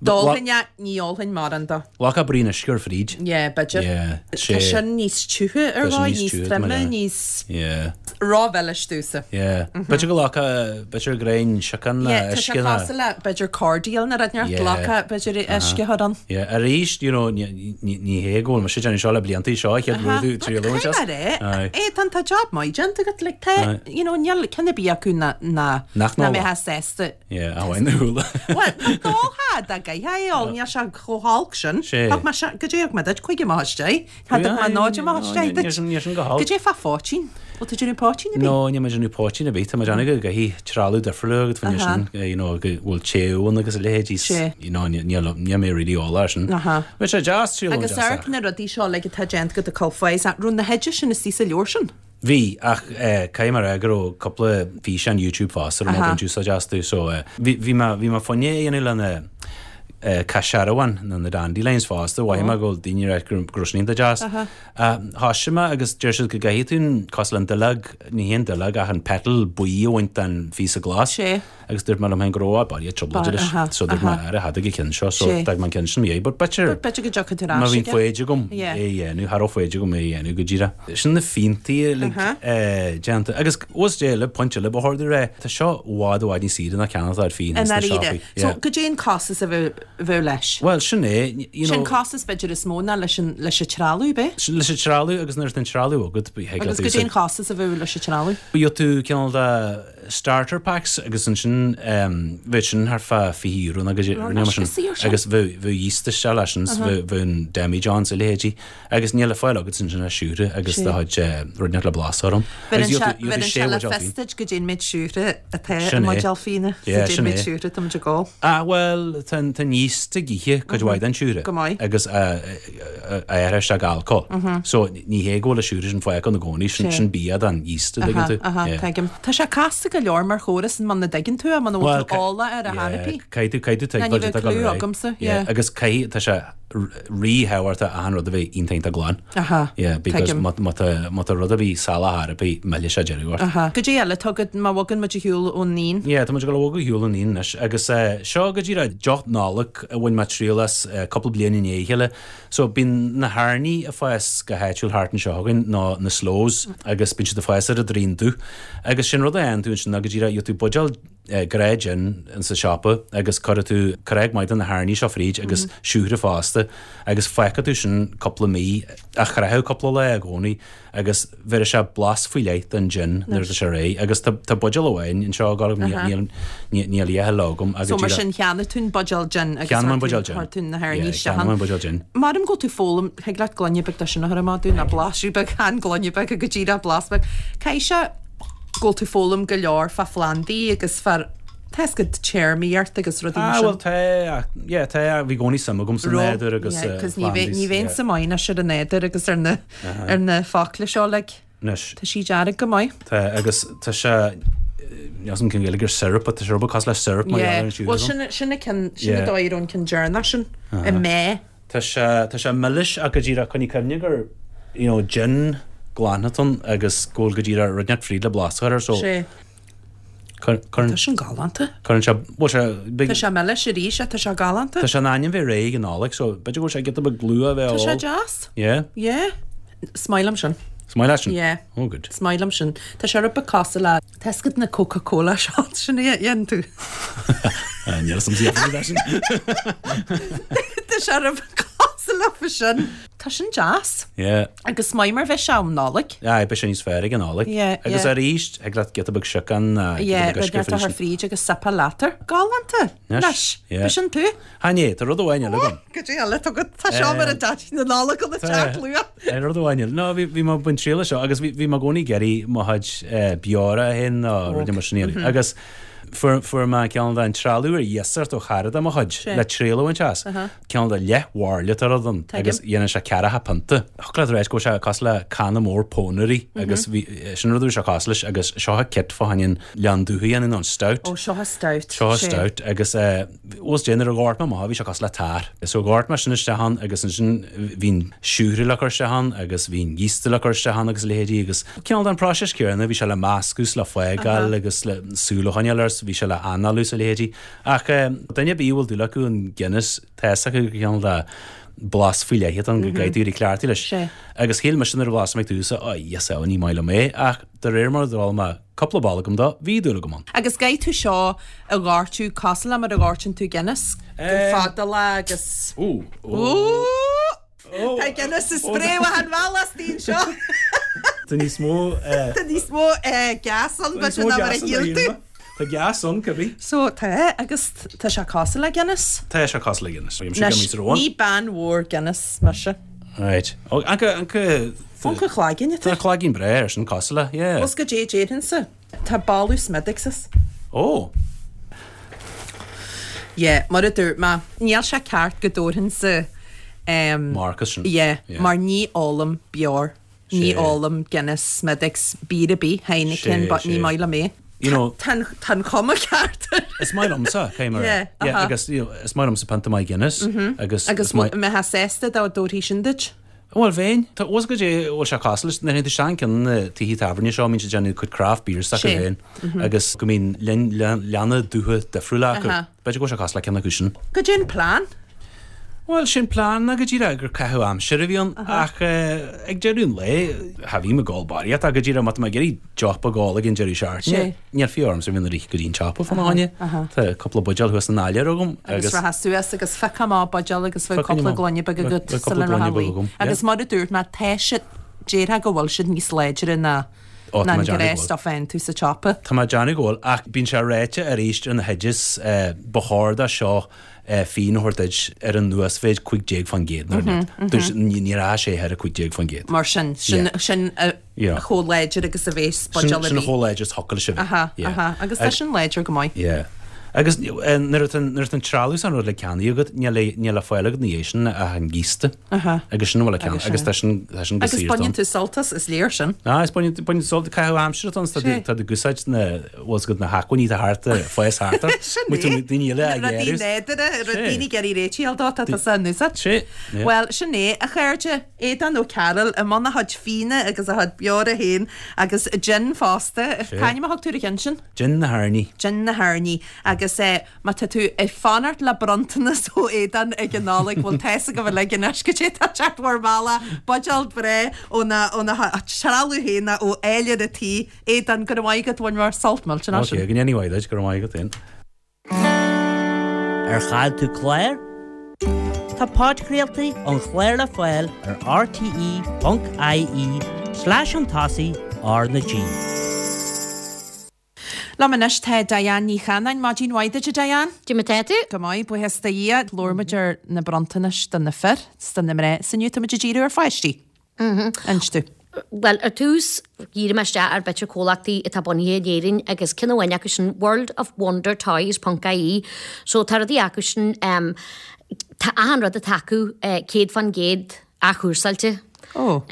D'ólfainn é, ní ólfainn mórán de. Ghlacfá braon uisce air fríd. Yeah, b'fhéidir. Yeah. Tá sin níos tiútha ar Tá sin dhóigh, níos níos tiútha, troime, mar níos Yeah. rómhilis domhsa. Yeah. B'fhéidir go nglacfá, b'fhéidir greim siocán le Yeah, tá sé uisce ná. cosúil le b'fhéidir cordial nó rud inteacht, Yeah. glacfá b'fhéidir uisce a chur ann. Yeah, arís, you know, ní, ní, ní hé go bhfuil mise ag déanamh seo le blianta seo, chéad rud tú triail a bhaint as. Caithfidh mé a rá, Aye. é, tá tá job maith déanta agat, like, tá, Aye. you know, níl ceann ar bith acu ná, ná, Nach ná n-ólfá. mbeifeá sásta Yeah, a bhain na húlla. Bhuel, nach dólfá dá gcaithfeá é a ól, níl sé chomh holc sin. Sé. Thug mé se, goidé thug mé duit, cúig amach as deich. Cha dtug mé náid amach as deich duit. Níl sin go holc. Goidé fá phoitín. Bhfuil tú ag déanamh poitín ar bith? No, níl mé ag déanamh poitín ar bith, tá mé ag déanamh go gcaithfidh trealamh difriúil agat fá choinne sin, you know, go bhfuil téamh ann agus a leithéidí. Sé. You know, níl, níl mé really eolach air sin. Aha. Bheadh sé deas triail Agus amharc na rudaí seo uilig atá déanta agat ag cur fá, raibh na hoidis sin istigh sa leabhar sin? Bhí, ach caithfidh mé a rá go raibh cúpla físeán YouTube fosta a raibh mé ag baint úsáid astu, so bhí, bhí mé, bhí mé fá choinne é a dhéanamh le na caisearbháin, nó na dandelions fosta, mhothaigh mé go bhfuil daoine ag rá go raibh sin iontach deas. Thoisigh mé agus deir siad go gcaithfidh tú an, cosúil le an duilleog, ní hé an duilleog ach an petal buí a bhaint den phíosa glas. Sé. Agus dúirt mé liom féin go raibh baile trioblóide leis. So dúirt mé ara cha dtig an ceann seo, so d'fhág mé an ceann sin i mo dhiaidh. But b'fhéidir, B'fhéidir go dtiocfaidh tú ar má ais bhíonn aige. foighid agam é a dhéanamh, cha raibh foighid agam é a dhéanamh go díreach. Sin na fíontaí uilig déanta. Agus ós dé eile, pointe eile ba chóir domh a rá, tá seo i bhfad i bhfad níos saoire ná ceannacht ar fíon I ins na ndáiríre. siopaí. So goidé an costas a bheadh leis? Bhuel, sin é, you Sin know. costas b'fhéidir is mó ná leis an leis an trealamh, ab é? Sin leis an trealamh agus nuair atá an trealamh agat, thig leat Agus goidé an costas a bheadh leis an trealamh? Gheobhaidh tú cineál de starter packs agus ansin bheadh sin thart fá €20 nó goidé mar sin agus bheadh bheadh yeast isteach leis sin bheadh bheadh an demijohn is a leithéidí agus níl le fáil agat ansin ach siúcra agus do chuid rud inteacht le blas orm. Bheireann sé bheireann sé le fios duit goidé an méid siúcra atá i mbuidéal fíona so goidé an méid siúcra atá muid ag ól. Ah bhuel tá an tá an yeast ag ithe cuid mhaith den siúcra. Go maith. Agus a athraithe isteach go alcól. So ní hé go bhfuil an siúcra sin fágtha ann i gcónaí, sin sin bia don yeast a dtuigeann tú. Aha, aha, tuigim. Tá sé casta go leor mar chóras muna dtuigeann tú é, muna bhfuil tú eolach ar a thairfí. Caithfidh tú, caithfidh tú Ná ní tuigbheáil bheadh tá clue agamsa, yeah. Agus caithfidh, tá sé ríthábhachtach achan rud a bheith iontach iontach glan. Aha, Yeah, because tuigim. má má tá má tá rud ar bith salach ar bith, millfidh sé deireadh ort. Aha. Goidé eile atá agat má bhogann muid ar shiúl ón fhíon? Yeah, tá muid ag dul a bhogadh ar shiúl ón fhíon anois agus seo go díreach deoch Nollag a bhain mé triail as cúpla bliain i ndiaidh a chéile. So bíonn na hairní ag fás go háitiúil thart anseo againn, nó na sloes, agus bíonn siad ag fás ar an Droicheann Dubh. Agus sin rud a dhéanann tú ansin ná go díreach gheobhaidh tú buidéal gnáth gin insa siopa agus cuirfidh tú corróg maith de na hairní seo fríd agus siúcra fosta agus fágfaidh tú sin cúpla mí, á chroitheadh cúpla lá i gcónaí agus bheirfidh sé blas faoi leith don gin nuair atá sé réidh agus tá tá buidéal amháin anseo ag gabháil agam níl níl níl a dhath eile agam agus So mar díreach sin cheannaigh tú an buidéal gin agus Cheannaigh mé an chuir tú buidéal gin. chuir tú na hairní Yeah, isteach cheannaigh ann. mé an buidéal gin. Maram go bhfuil tú ag foghlaim thig leat gloine beag de sin a chur amach dúinn nó blaiseadh beag chan gloine beag go díreach blas beag. Caithfidh sé go bhfuil tú ag foghlaim go leor fá phlandaí agus fá tá a fhios agat téarmaíocht agus rudaí mar Ah sin. bhuel tá ach yeah tá bhí i gcónaí suim agam sa Raibh nádúr agus yeah sa 'cause ní bheidh phlandaí ní yeah. bheinnse maith anois ar an nádúr agus ar na ar na focla seo like. Anois. Tá sí dearg go maith. Tá, agus tá sé, níl 'fhios a'm cén Ghaeilge ar syrup, but tá sé rud beag cosúil le syrup mar gheall ar an Yeah, siúcra bhuel agam. sin, sin an ceann, sin an Yeah. dóigh a raibh an ceann deireanach sin, i mé. Tá sé, tá sé milis ach go díreach coinnigh cuimhne gur, you know, gin glan atá ann agus go bhfuil go díreach rud inteacht fríd le blas a chur air, so. Sé. Tá sin galánta. Cuireann sé, bhuel sé, big. Tá sé milis arís, tá sé galánta. Tá sé in ainm bheith réidh ag an Nollaig, so b'fhéidir go bhfuil sé giota beag luath a bheith á ól. Tá sé deas. Yeah. Yeah. Is maith liom sin. Is maith leat sin? Yeah. Oh good. Is maith liom sin. Tá sé rud beag cosúil le, tá a fhios agat na Coca Cola shots sin a dhéanann tú. Níl a fhios agam faoi sin. Tá sé rud beag cosúil le sin. Tá sin deas. Yeah. Agus is maith mar bheidh sé um Nollaig. Aye, beidh sé níos fearr ag an Nollaig. Yeah, yeah. Agus arís, thig leat giota beag siocán ná Yeah, giota beag rud uisce ar fríd. fríd agus sipeáil leat air. Galánta. Anois. Yeah. B'shin tú. Chan é, tá rud amháin eile agam. Goidé eile atá agat, tá seo mar a Daidí na Nollag an teach luath. Tá rud amháin eile. No, bhí bhí mé ag baint triail as seo agus bhí bhí mé i gcónaí ag iarraidh mo chuid beora féin nó rudaí mar sin a dhéanamh. Agus fuair fuair mé ceann den trealamh ar iasacht ó chara de mo chuid le triail a bhaint as. Cineál de leath-bhairille atá ann agus dhéanann sé ceathracha pionta. Thiocfadh leat a ráit go bhfuil sé cosúil le canna mór pónairí agus bhí, sin rud a bhí sé cosúil leis agus seo a kit fá choinne an leann dubh a dhéanamh nó an stout. Ó, seo a stout. Seo a stout agus bhuel nuair a dhoirt mé amach bhí sé cosúil le tar. So dhoirt mé sin isteach ann agus ansin bhí an siúcra le cur isteach ann agus bhí an yeast le cur isteach ann agus a leithéidí agus cineál den próiseas céanna bhí sé le meascadh 's le fágáil agus le súil a choinneáil air 's bhí sé le análú 's a leithéidí. Ach duine ar bith a bhfuil dúil acu in Guinness, tá fhios acu gur cineál de blas faoi leith atá ann go gcaithfidh tú éirí cleachtaithe leis. Agus shíl mise nuair a bhlas mé ag tús, Ó, yes, ó, ní maith liom é, ach de réir mar a d'ól mé cúpla bolgam dó, bhí dúil agam ann. Agus caithfidh tú seo a dhoirteadh cosúil le mar a dhoirteann tú Guinness, go fada le agus. Ó! Ó! Tá Guinness ag spré amach an bhealach istigh anseo. Tá níos mó. Tá níos mó gas ann b'fhéidir ná mar a shíl tú. Tá gas ann, cibé. So tá, agus tá sé cosúil le Guinness. Tá sé cosúil le Guinness. Anois, ní bean mhór Guinness mise. Right. Ó, anca, anca. Anca cloigeann atá. Tá cloigeann breá air sin cosúil le, yeah. Bhfuil 's goidé a déarfainnse? Tá boladh Smithwick's as. Ó! Yeah, mar a dúirt mé, níl sé ceart go dtabharfainnse em. Marc as sin. Yeah, mar ní ólaim beoir, ní ólaim Guinness, Smithwick's, beer ar bith, Heineken, but ní maith liom é. You know. Tá tá an chuma ceart air. Is maith liomsa, cé mar. Yeah, Yeah, aha. agus you know, is maith liomsa pionta maith Guinness agus Agus is maith. mbeifeá sásta dá dtabharfaí sin duit? Bhuel, bheinn. Tá fhios agat goidé a bhfuil sé cosúil leis. Nuair a théann tú isteach in ceann de na tithe tábhairne seo, mbíonn siad ag déanamh cuid craft beers s'acu Sé. féin agus go mbíonn leanna dubha difriúla acu. B'fhéidir go bhfuil sé cosúil le ceann acu sin. Goidé an plean? Bhuel, sé'n plean ná go díreach gur caitheamh aimsire a bhí ann ach ag deireadh an lae, cha bhím ag ól barraíocht ach go díreach má tá mé ag iarraidh deoch beag a ól ag an deireadh seachtaine, Níl fiú ormsa a bheith ag rith go dtí an tsiopa fána choinne. Tá cúpla buidéal thuas san áiléar agam agus. Agus rachfá suas agus phiocfá amach buidéal agus bheadh cúpla gloine beag agat sula rachfá a luí. Agus mar a dúirt mé, tá siad, déarfá go bhfuil siad níos láidre ná ná an gnáth stuff a fhaigheann tú sa tsiopa. Tá mé ag déanamh go bhfuil, ach bíonn sé ráite arís ar na hoidis, ba chóir do seo fíon a thabhairt duit ar an uasmhéid 15% nó rud. Ní raibh sé thar 15%. Mar sin, sin, sin chomh láidir agus a bhéas buidéal ar Sin bith. chomh láidir is thiocfadh leis a bheith. Aha, aha. Agus tá sin láidir go maith. Yeah. Agus nuair atá nuair atá an trealamh is an rud le ceannaí agat, níl le níl le fáil agat ina dhiaidh sin ach an giosta. Aha. Agus sin a bhfuil le ceannach. Agus Agus tá sin tá sin go Agus saor baineann tú sult as, is léir sin. Ah, is baineann baineann tú sult, caitheamh aimsire atá ann, tá Sé. tá tú ag úsáid na bhfuil 's agat na hacmhainní atá thart ag fás thart ort. Sin Muid é. tú daoine eile a Na rudaí ghéarú. nádúrtha, Sé. daoine ag iarraidh réitigh a fháil dó, tá tusa in úsáid. Sé. Yeah. Bhuel, sin é, a chairde. Aodán Ó Cearúil i mbun a chuid fíona agus a chuid beora féin agus jin fosta. C'ainm a thug tú ar an cheann sin? Jin na hAirní. Jin na hAirní. Agus má tá tú ag fanacht le bronntanas ó Aodán ag an Nollaig, bhuel tá's agaibh uilig anois goidé atá ag teacht bhur mbealach, buidéal breá óna trealamh féin nó ó áiléar a tí. Aodán, go raibh maith agat, bhain mé sult millteanach as sin. Ok, go ndéana mhaith duit, go raibh maith agat féin. Ar chaill tú clár? Tá podchraoltaí an chláir le fáil ar rte.ie slash chun tosaigh R na G. Liom anois tá Diane Ní Chanáin. Maidin mhaith duit, a Diane. Cad é mar tá tú? Go maith, buíochas do Dhia. Labhair muid ar na bronntanais do na fir 's do na mná. 's inniu tá muid ag díriú ar pháistí. Inis domh. Bhuel, ar tús, dhírigh mé isteach ar b'fhéidir comhlachtaí atá bunaithe in Éirinn agus ceann amháin acu sin World of Wonder Toys ponc ie. So tá rudaí acu sin, tá achan rud atá acu 100% athchúrsáilte. Oh.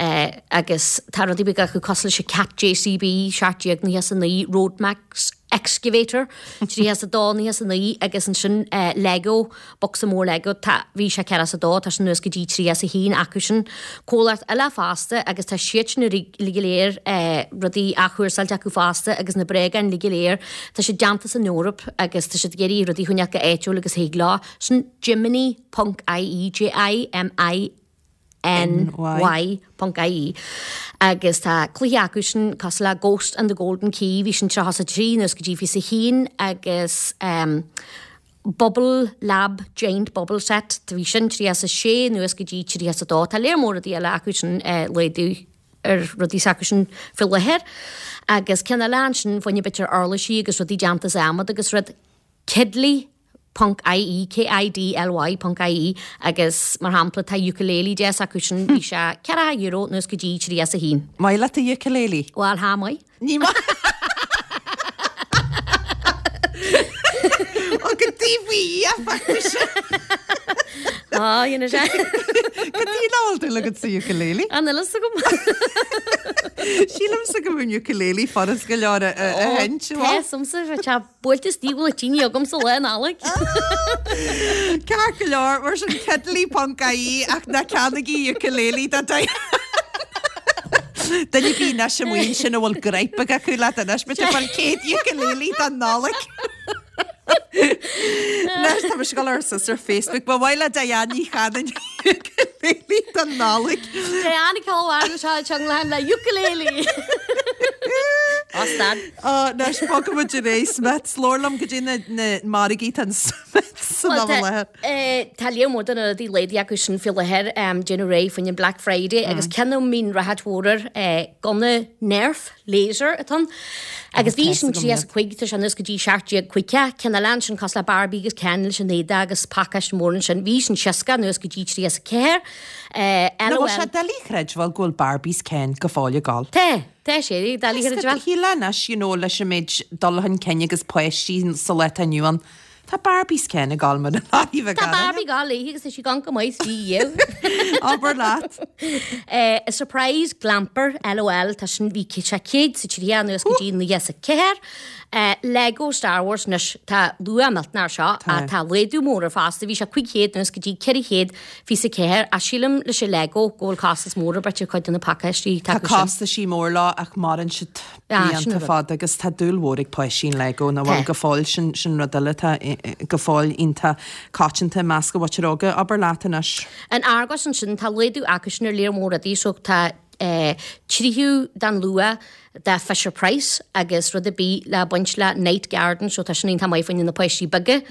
Agus tá rudaí beaga acu cosúil leis an Cat JCB 1799, Roadmax. Excavator, 32, 99 agus ansin Lego, bocsa mór Lego, tá, bhí sé 42, tá sin anuas go dtí 31 acu sin. Comhlacht eile fosta agus tá siadsan uilig go léir rudaí athchúrsáilte acu fosta agus na bréagáin uilig go léir, tá siad déanta san Eoraip agus tá siad ag iarraidh rudaí a choinneáil chomh áitiúil agus thig leo. Sin Jiminy ponc ie, J-I-M-I NY ponc ie agus tá cluiche acu sin cosúil le Ghost and the Golden Key, bhí sin 33 anuas go dtí 21 agus ehm Bubble Lab Giant Bubble Set, bhí sin 36 anuas go dtí 32. Tá léar mór rudaí eile acu sin eh laghdú ar rudaí s'acu sin faoi láthair agus ceann eile ansin fá choinne b'fhéidir uirlisí agus rudaí déanta as adhmad agus rud Kidly ponc ie, K-I-D-L-Y ponc ie, agus mar shampla tá ukulele deas acu sin, bhí sé €40 anuas go dtí 31. Maith leat an ukulele? Bhuel, thá maith. Ní maith. Ó go dtí faoi dhia, fágfaidh mise. Á, dhéanfaidh sé. Cad é nach bhfuil dúil agat sa ukulele? An bhfuil fhios agam. Sílimse go mbíonn ukulele furast go leor a sheinnt. Tá fhios a'msa, tá Buailte istigh bhfuil tine agamsa lá Nollag. Ceart go leor, mar sin kidly ponc ie ach ná ceannaigí ukulele do Diane. Duine ar bith anois amuigh ansin a bhfuil gripe beag acu leat anois, beidh tú ag fáil 100 ukulele don Nollaig. Anois tá mise ag dul ar suas ar Facebook, ba mhaith le Diane Ní Chanainn ukulele don Nollaig. Diane Calwan seo teanglann le ukulele. Ó stad. Anois bogfaidh muid ar aghaidh Smiths, labhair liom goidé na na margaí atá in Smiths san am i láthair. Tá léar mór de na rudaí laghdaithe acu sin faoi láthair, déanamh réidh fá choinne Black Friday agus ceann a mbíonn ráchairt mhór air, gunna Nerf laser atá ann. Agus bhí sin 35, tá sé anuas go dtí 17 50, ceann eile ansin cosúil le Barbie agus Ken leis an éadach agus pacáiste mór ansin, bhí sin 60 anuas go dtí 34. Nach bhfuil sé doiligh a chreidbheáil go bhfuil Barbies Ken go fóill ag gabháil. Tá! Tá sé doiligh a chreidbheáil. Shílfeá anois, you know, leis an méid dul chun cinn agus páistí sa lá atá inniu ann, tá Barbies Ken ag gabháil mar an áiríomh ag Tá Barbie ag gabháil léi agus tá sí gann go maith sí dhíobh. Abair leat. A surprise glamper, LOL, tá sin, bhí sé 130 anuas go dtí 94. Lego Star Wars anois, tá luach millteanach air seo, ach tá laghdú mór air fosta, bhí sé 500 anuas go dtí 424 ach sílim leis an Lego go bhfuil costas mór ar bith ar chuid de na pacáistí atá acu sin. Tá costaisí mór leo ach maireann siad blianta fada agus tá dúil mhór ag páistí in Lego nach bhfuil go fóill, sin sin rud eile atá go fóill iontach coitianta i measc an mhuintir óga. Abair leat anois. In Argos ansin tá laghdú acu sin ar léar mór rudaí so tá tríocha den luach de Fisher Price agus rud ar bith le baint le Night Garden so tá sin iontach maith fá choinne na páistí beaga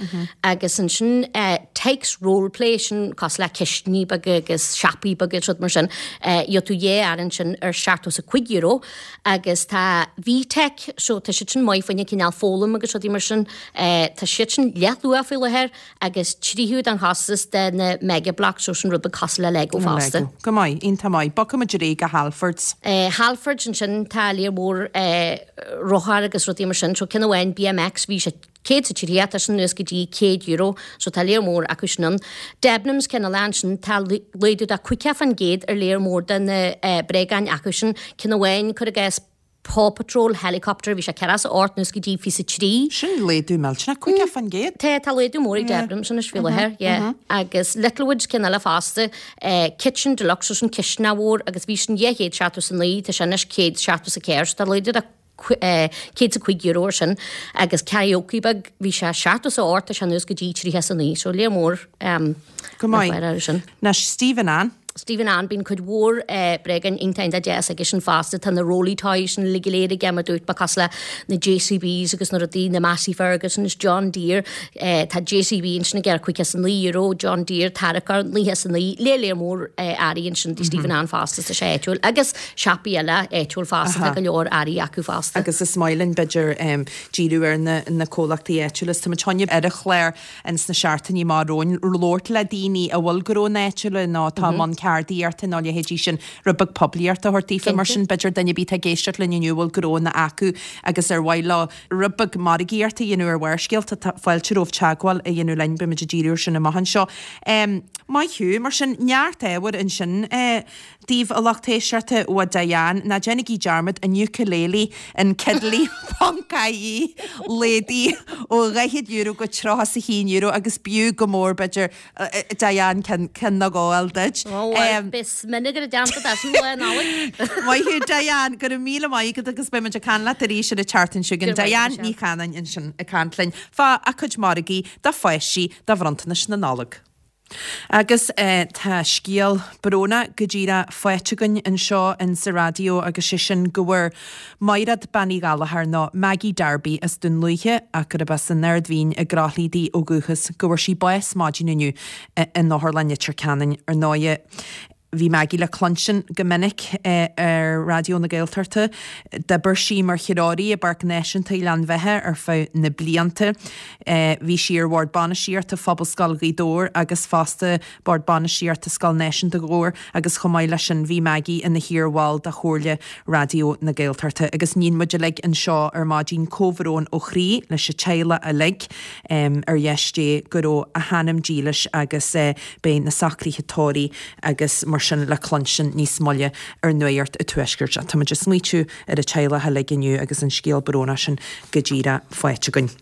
agus ansin Tikes Role Play sin cosúil le cistiní beaga agus siopaí beaga agus rud mar sin gheobhaidh tú dhá earra ansin ar €75 agus tá VTech so tá siad sin maith fá choinne cineál foghlaim agus rudaí mar sin tá siad sin leathluach faoi láthair agus tríocha den chostas de na Mega Bloks so sin rud beag cosúil le Lego fosta. Lego. Go maith, iontach maith. Bogfaidh muid ar aghaidh go Halfords. Halfords ansin tá léar mór rothar agus rudaí mar sin so ceann amháin BMX bhí sé 130 tá sin anuas go dtí €100 so tá léar mór acu sin ann. Debenhams ceann eile ansin tá laghdú de 50% ar léar mór de na bréagáin acu sin ceann amháin cuir i gcás Paw Patrol Helicopter, bhí sé 48 anuas go dtí 23. Sin laghdú millteanach, 50%. Tá, tá laghdú mór ag Debenhams anois faoi láthair, yeah. Agus Littlewoods ceann eile fosta, Kitchen Deluxe, so sin cistineach mhór agus bhí sin 279, tá sé anois 174, so tá laghdú de €105 ar sin. Agus karaoke beag, bhí sé 78, tá sé anuas go dtí 39, so léar mór. Go maith. Anois, Steve and Ann. Steve and Ann, bíonn cuid mhór bréagáin iontach iontach deas aige sin fosta. Tá na Rolly Toys sin uilig go léir aige mar dúirt mé cosúil le na JCBs agus na rudaí, na Massey Ferguson is John Deere. Tá JCB ansin aige ar €59, John Deere tarracóir 99, léar léar mór earraí ansin do Steve and Ann fosta tá sé áitiúil agus siopaí eile áitiúil fosta, tá go leor earraí acu fosta. Agus is maith linn b'fhéidir díriú ar na comhlachtaí áitiúla is tá muid chun ar an chlár ins na seachtainí amach romhainn labhairt le daoine a bhfuil gnónna áitiúla nó atá i mbun. ceardaíochta nó a leithéidí sin, rud beag poiblíochta a thabhairt daofa. Mar sin, b'fhéidir duine ar bith atá ag éisteacht linn inniu a bhfuil gnóanna acu agus ar mhaith leo rud beag margaíochta a dhéanamh ar Bharrscéalta, tá fáilte romhaibh teagmháil a dhéanamh linn, beidh muid ag díriú air sin amach anseo. Maith thú, mar sin, neart ábhair ansin daoibh a lucht éisteachta ó Diane, ná déanaigí dearmad an ukulele in Kidly ponc ie laghdaithe ó €40 go €31 agus b'fhiú go mór b'fhéidir Diane ceann nó dhó a fháil duit. Ó bhuel, beidh smionagar i dteannta leis an lá Nollag. Maith thú Diane, go raibh míle maith agat agus beidh muid ag caint leat arís ar an tseachtain seo chugainn. Diane Ní Chanainn ansin ag caint linn fá a cuid margaí do pháistí do bhronntanais na Nollag. Agus tá scéal brónach go díreach faighte againn anseo in sa raidió agus sé sin go bhfuair Maighread Bean Uí Ghallchóir nó Maggie Darby as Dún Lúiche ach gurb as an Aird Mhín i gCroithlí di ó dhúchas, go bhfuair sí bás maidin inniu in Otharlann Leitir Ceanainn. Ar ndóighe, bhí Maggie le cluinstin go minic ar Raidió na Gaeltachta. D'oibir sí mar threoraí i bPáirc Náisiúnta Ghleann Bheatha ar feadh na blianta. Bhí sí ar Bhord Bainistíochta Phobalscoil Ghaoth Dobhair agus fosta Bord Bainistíochta Scoil Náisiúnta Ghabhar agus chomh maith leis sin bhí Maggie ina hiar-bhall de Chomhairle Raidió na Gaeltachta agus níonn muid uilig anseo ar maidin comhbhrón ó chroí leis an teaghlach uilig ar dheis Dé go raibh a hanam dílis agus beidh na socruithe tórraimh agus mar sin le cluinstin níos moille ar Nuacht an Tuaiscirt. Tá muid ag smaoitiú ar an teaghlach uilig inniu agus an scéal brónach sin go díreach faighte againn.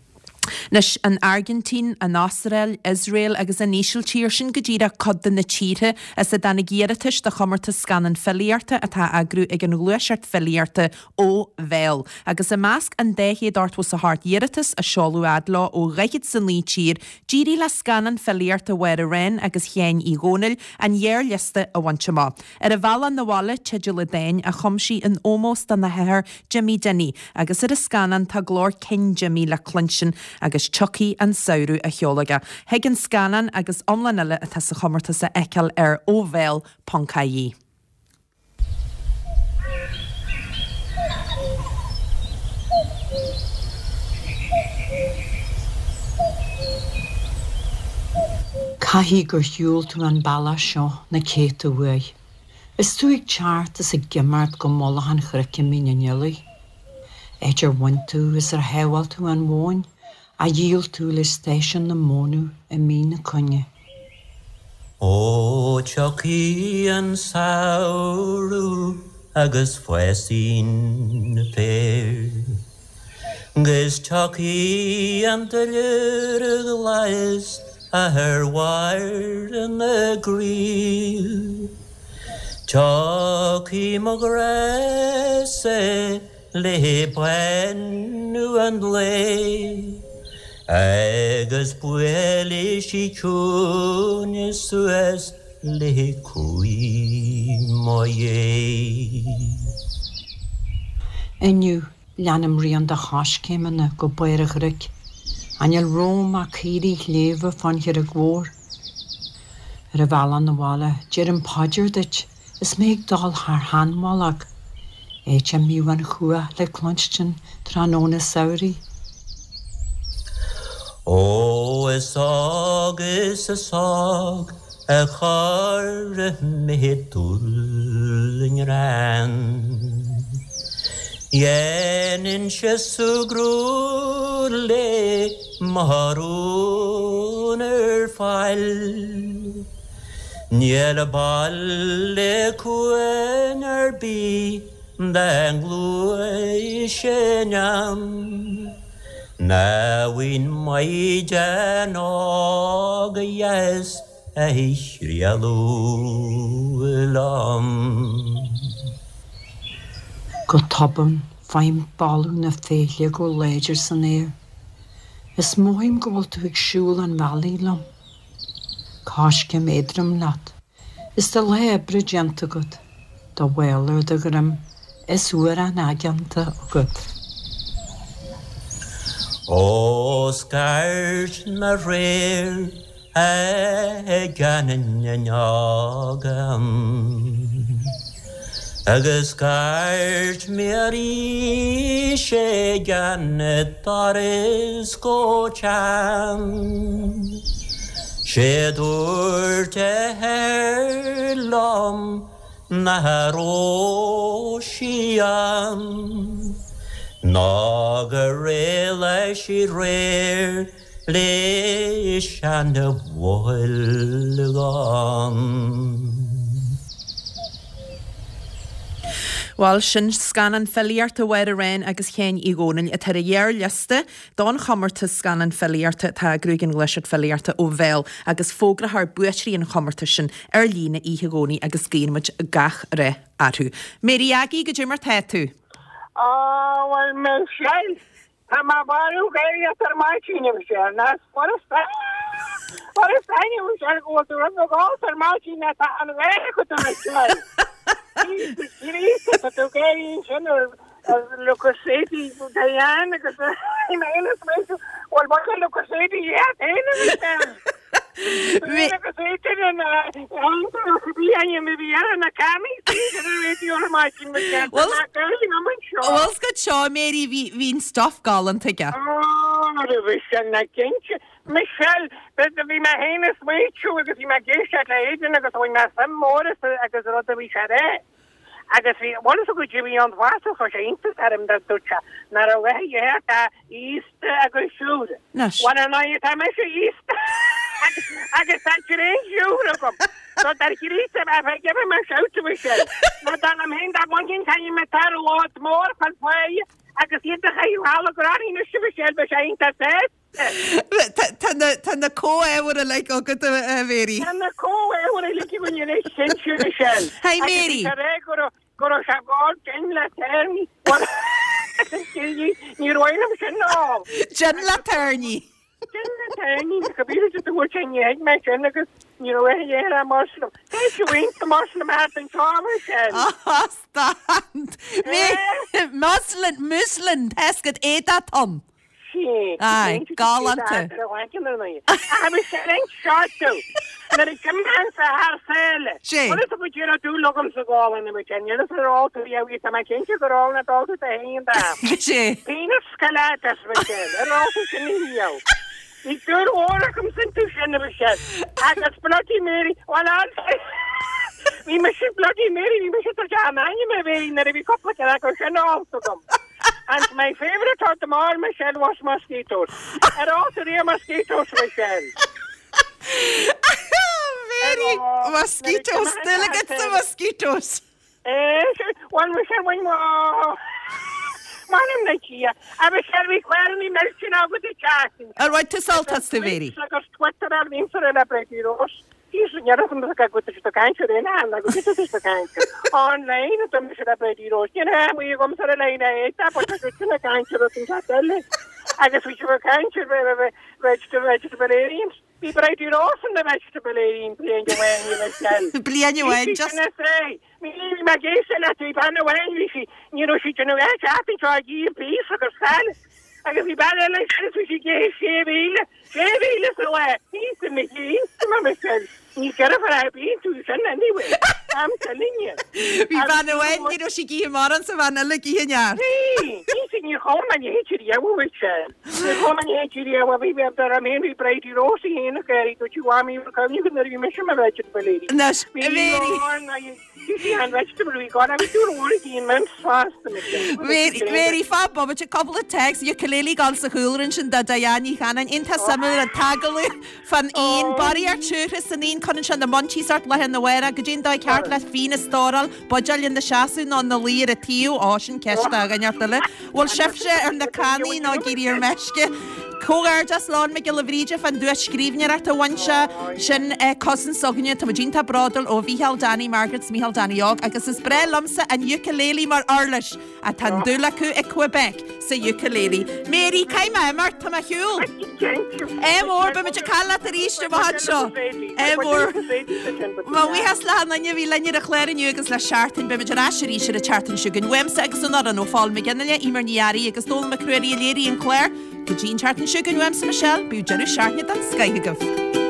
Anois, an Airgintín, an Astráil, Iosrael agus an Ísiltír, sin go díreach cuid de na tíortha as a dtáinig iarratais do chomórtas scannán filíochta atá á eagrú ag an ghluaiseacht filíochta Ó Bhéal. Agus i measc an 288 iarratas a seoladh fhad leo ó dhaichead 's a 9 tír, d'éirigh le scannán filíochta Mháire Wren agus Sheáin Uí Dhónaill an ghearrliosta a bhaint amach. Ar a Bhealach 'Na Bhaile, teideal an dáin a chum sí in ómós dona hathair Jimmy Dinny, agus ar an scannán tá glór cinn Jimmy le cluinstin agus tiocfaidh an samhradh á cheol aige. Thig an scannán agus iomlán eile atá sa chomórtas a fheiceáil ar Ó Bhéal.ie. Caithfidh gur shiúil tú an bealach seo na céadta uair, is tú ag teacht is ag imeacht go mullach an chnoic i Mín an Fhilaigh, áit ar bhain tú is ar shábháil tú an mhóin a dhíol tú le stáisiún na mónadh i mí na Cuinge. Ó tiocfaidh an samhradh agus fásfaidh an féar, 'Gus tiocfaidh an duilliúr glas ar bharr na gcraobh, Tiocfaidh mo ghrá-sa le bánú an lae, Agus buailfidh sí ciúin suas le croí mo Dhé. Inniu, leanaim rian do choiscéimeanna go barr an chnoic, ach níl romham ach caoirigh shléibhe fán Charraig Mhór. Ar an bhealach 'na bhaile, deirim paidir duit is mé ag dul thar sheanmhullach, áit a mbíodh an chuach le cluinstin tráthnóna samhraidh. Ó is óg is is óg a chuir mé dúil i ngreann. Dhéanainnse súgradh le mo rún ar fáil. Níl baile cuain ar bith dá ngluaisfinn ann, Ná bhfuil maighdean óg dheas a thriallódh liom. Go tobann, faighim boladh na féithle go láidir san aer, is mothaím go bhfuil tú ag siúl an bhealaigh liom. Coiscéim éadrom leat, is do lá oibre déanta agat, do mhála ar do dhroim is uarán aigeanta agat. Ó scairt mé aréir ag an fhuinneog Agus scairt mé arís ag an doras go teann. Sé dúirt a hathair liom nach raibh sí ann ná gur éalaigh sí aréir leis an bholgán. Bhuel, sin scannán filíochta Mháire Ryan agus Sheáin Uí Dhónaill atá ar an ghearrliosta don chomórtas scannán filíochta atá á eagrú ag an Ghluaiseacht Filíochta ó Bhéal agus fógrófar buaiteoirí an chomórtais sin ar líne oíche Dhomhnaigh agus guíonn muid gach rath orthu. Mary Aggie, goidé mar tá tú? Á, bhuel, Michelle, Tá mé marbh gáire ar maidin a Mhichelle, ná furast furast aithne a Mhichelle go bhfuil tú rud beag ólta ar maidin ná tá an gháire agat a Mhichelle. Jesus Christ, tá tú gáirí ansin ar ar Le Creuset Diane agus bhí mé féin ag smaointiú, bhuel bhuel Le Creuset iad féin a Mhichelle. Le Creuset an Bhuel 's goid seo, Mary, bhí bhí an stuff galánta aige. Michelle, bhí mé féin ag smaoitiú agus bhí mé ag éisteacht le Aidan agus bhain mé suim mór as agus rud a bhí sé a rá. Agus bhí, bhuel is go dtí an bhfásach chuir sé iontas orm dá dúirt sé nach raibh a dhath atá aosta agus siúr. Anois. Bhuel ar ndóigh tá mise aosta agus tá tréan siúr agam. So dar Chríost if I give him a shout a Mhichelle. Nó dar liom féin dá mbainfinn caithfidh mé tar lot mór chun faoi agus iad a chaitheamh thall i gcrann anois a Mhichelle beidh sé iontach sásta. Tá na comhábhair uilig agat, a Mhary. Tá na comhábhair uilig againn anois, cinnte, Michelle. Hi Mary. Agus tá ré go raibh go raibh sé ag gin le tairní. Ní raibh liom sin ná. Gin le tairní. Gin le tairní, go bhfíor de dúirt sé ní thuig mé sin agus ní raibh a dhath ar Muslim. Tá sé iontach Muslim thart anseo, Michelle. Stand. Muslim, Muslim, tá 's agat éadach tom. Sea, Aye, galánta. Sea. Sea. And my favourite of them all, Michelle, was mosquitoes. Ar ól tú riamh mosquitoes, Michelle? Mary, mosquitoes, dúil agat sa mosquitoes. Eh, bhuel, Michelle, bhain mo... M'anam le Dia. A Michelle, bhí clárannaí millteanna agat ag teacht. Ar bhain tú sult astu, Mary? Agus Twitter ar bhímse le Bridie Rose. Online agus bhí sibh ag caint ar vegetarians. Bhí Bridie Rose ina vegetarian bliain amháin a Michelle. Bliain amháin just. Bhí mé ag éisteacht leat, bhí bean amháin, bhí sí, ní raibh sí ag déanamh aon seachtain seo ag ithe beef agus salad agus bhí bean eile ansin agus bhí sí ag ithe 6,000, 6,000 sa lá, Íosa mo Chríost, a Michelle, ní deirfiúr ar bith tú sin anyway, I'm telling you. Bhí bean amháin, ní raibh sí ag ithe mórán 's an bhean eile ag ithe neart. Bhí, Íosa, níor chuala mé a leithéid riamh, a Michelle. Níor chuala mé a leithéid riamh, bhí, bhí, dar liom féin, bhí Bridie Rose í féin ag éirí, dúirt sí, Mhamaí, bhfuil cuimhne agat nuair a bhí mise i mo vegetable Anois, a Mhary. Mary, fan bomaite, cúpla téacs, ukulele ag gabháil sa chúlra ansin do Diane Ní Chanainn. Iontach suimiúil an t-agallamh fán fhíon. Barraíocht siúcra san fhíon, cuireann sé na munchies ort lá arna mhárach. Goidé an dóigh ceart le fíon a stóráil, buidéal ina seasamh nó ina luí ar an taobh? Ó, sin ceist do dhuine inteacht eile. Bhfuil sibhse ar na cannaí nó ag éirí ar meisce? Comhghairdeas le Eoin Mac Giolla Bhríde fán duais scríbhneoireachta a bhain sé. Sin cousin s'againne. Tá muid iontach bródúil ó Mhícheál, Danny, Margaret 's Mícheál Danny Óg agus is breá liomsa an ukulele mar uirlis. Ach tá an dúil acu i Quebec sa ukulele. Mary, caithfidh mé imeacht, tá mé ar shiúl. Ádh mór, beidh muid ag caint leat arís amach anseo. Ádh mór. Mo bhuíochas le achan duine a bhí linn ar an chlár inniu agus le seachtain. Beidh muid ar ais arís ar an tseachtain seo chugainn. Uaimse agus ón fhoireann ó Phól Mac Fhionnghaile, Eimear Ní Fhearraigh agus Dónall Mac Ruairí a léirigh an clár. Go dtí an tseachtain seo chugainn uaimse Michelle, bíodh deireadh seachtaine den scoith agaibh.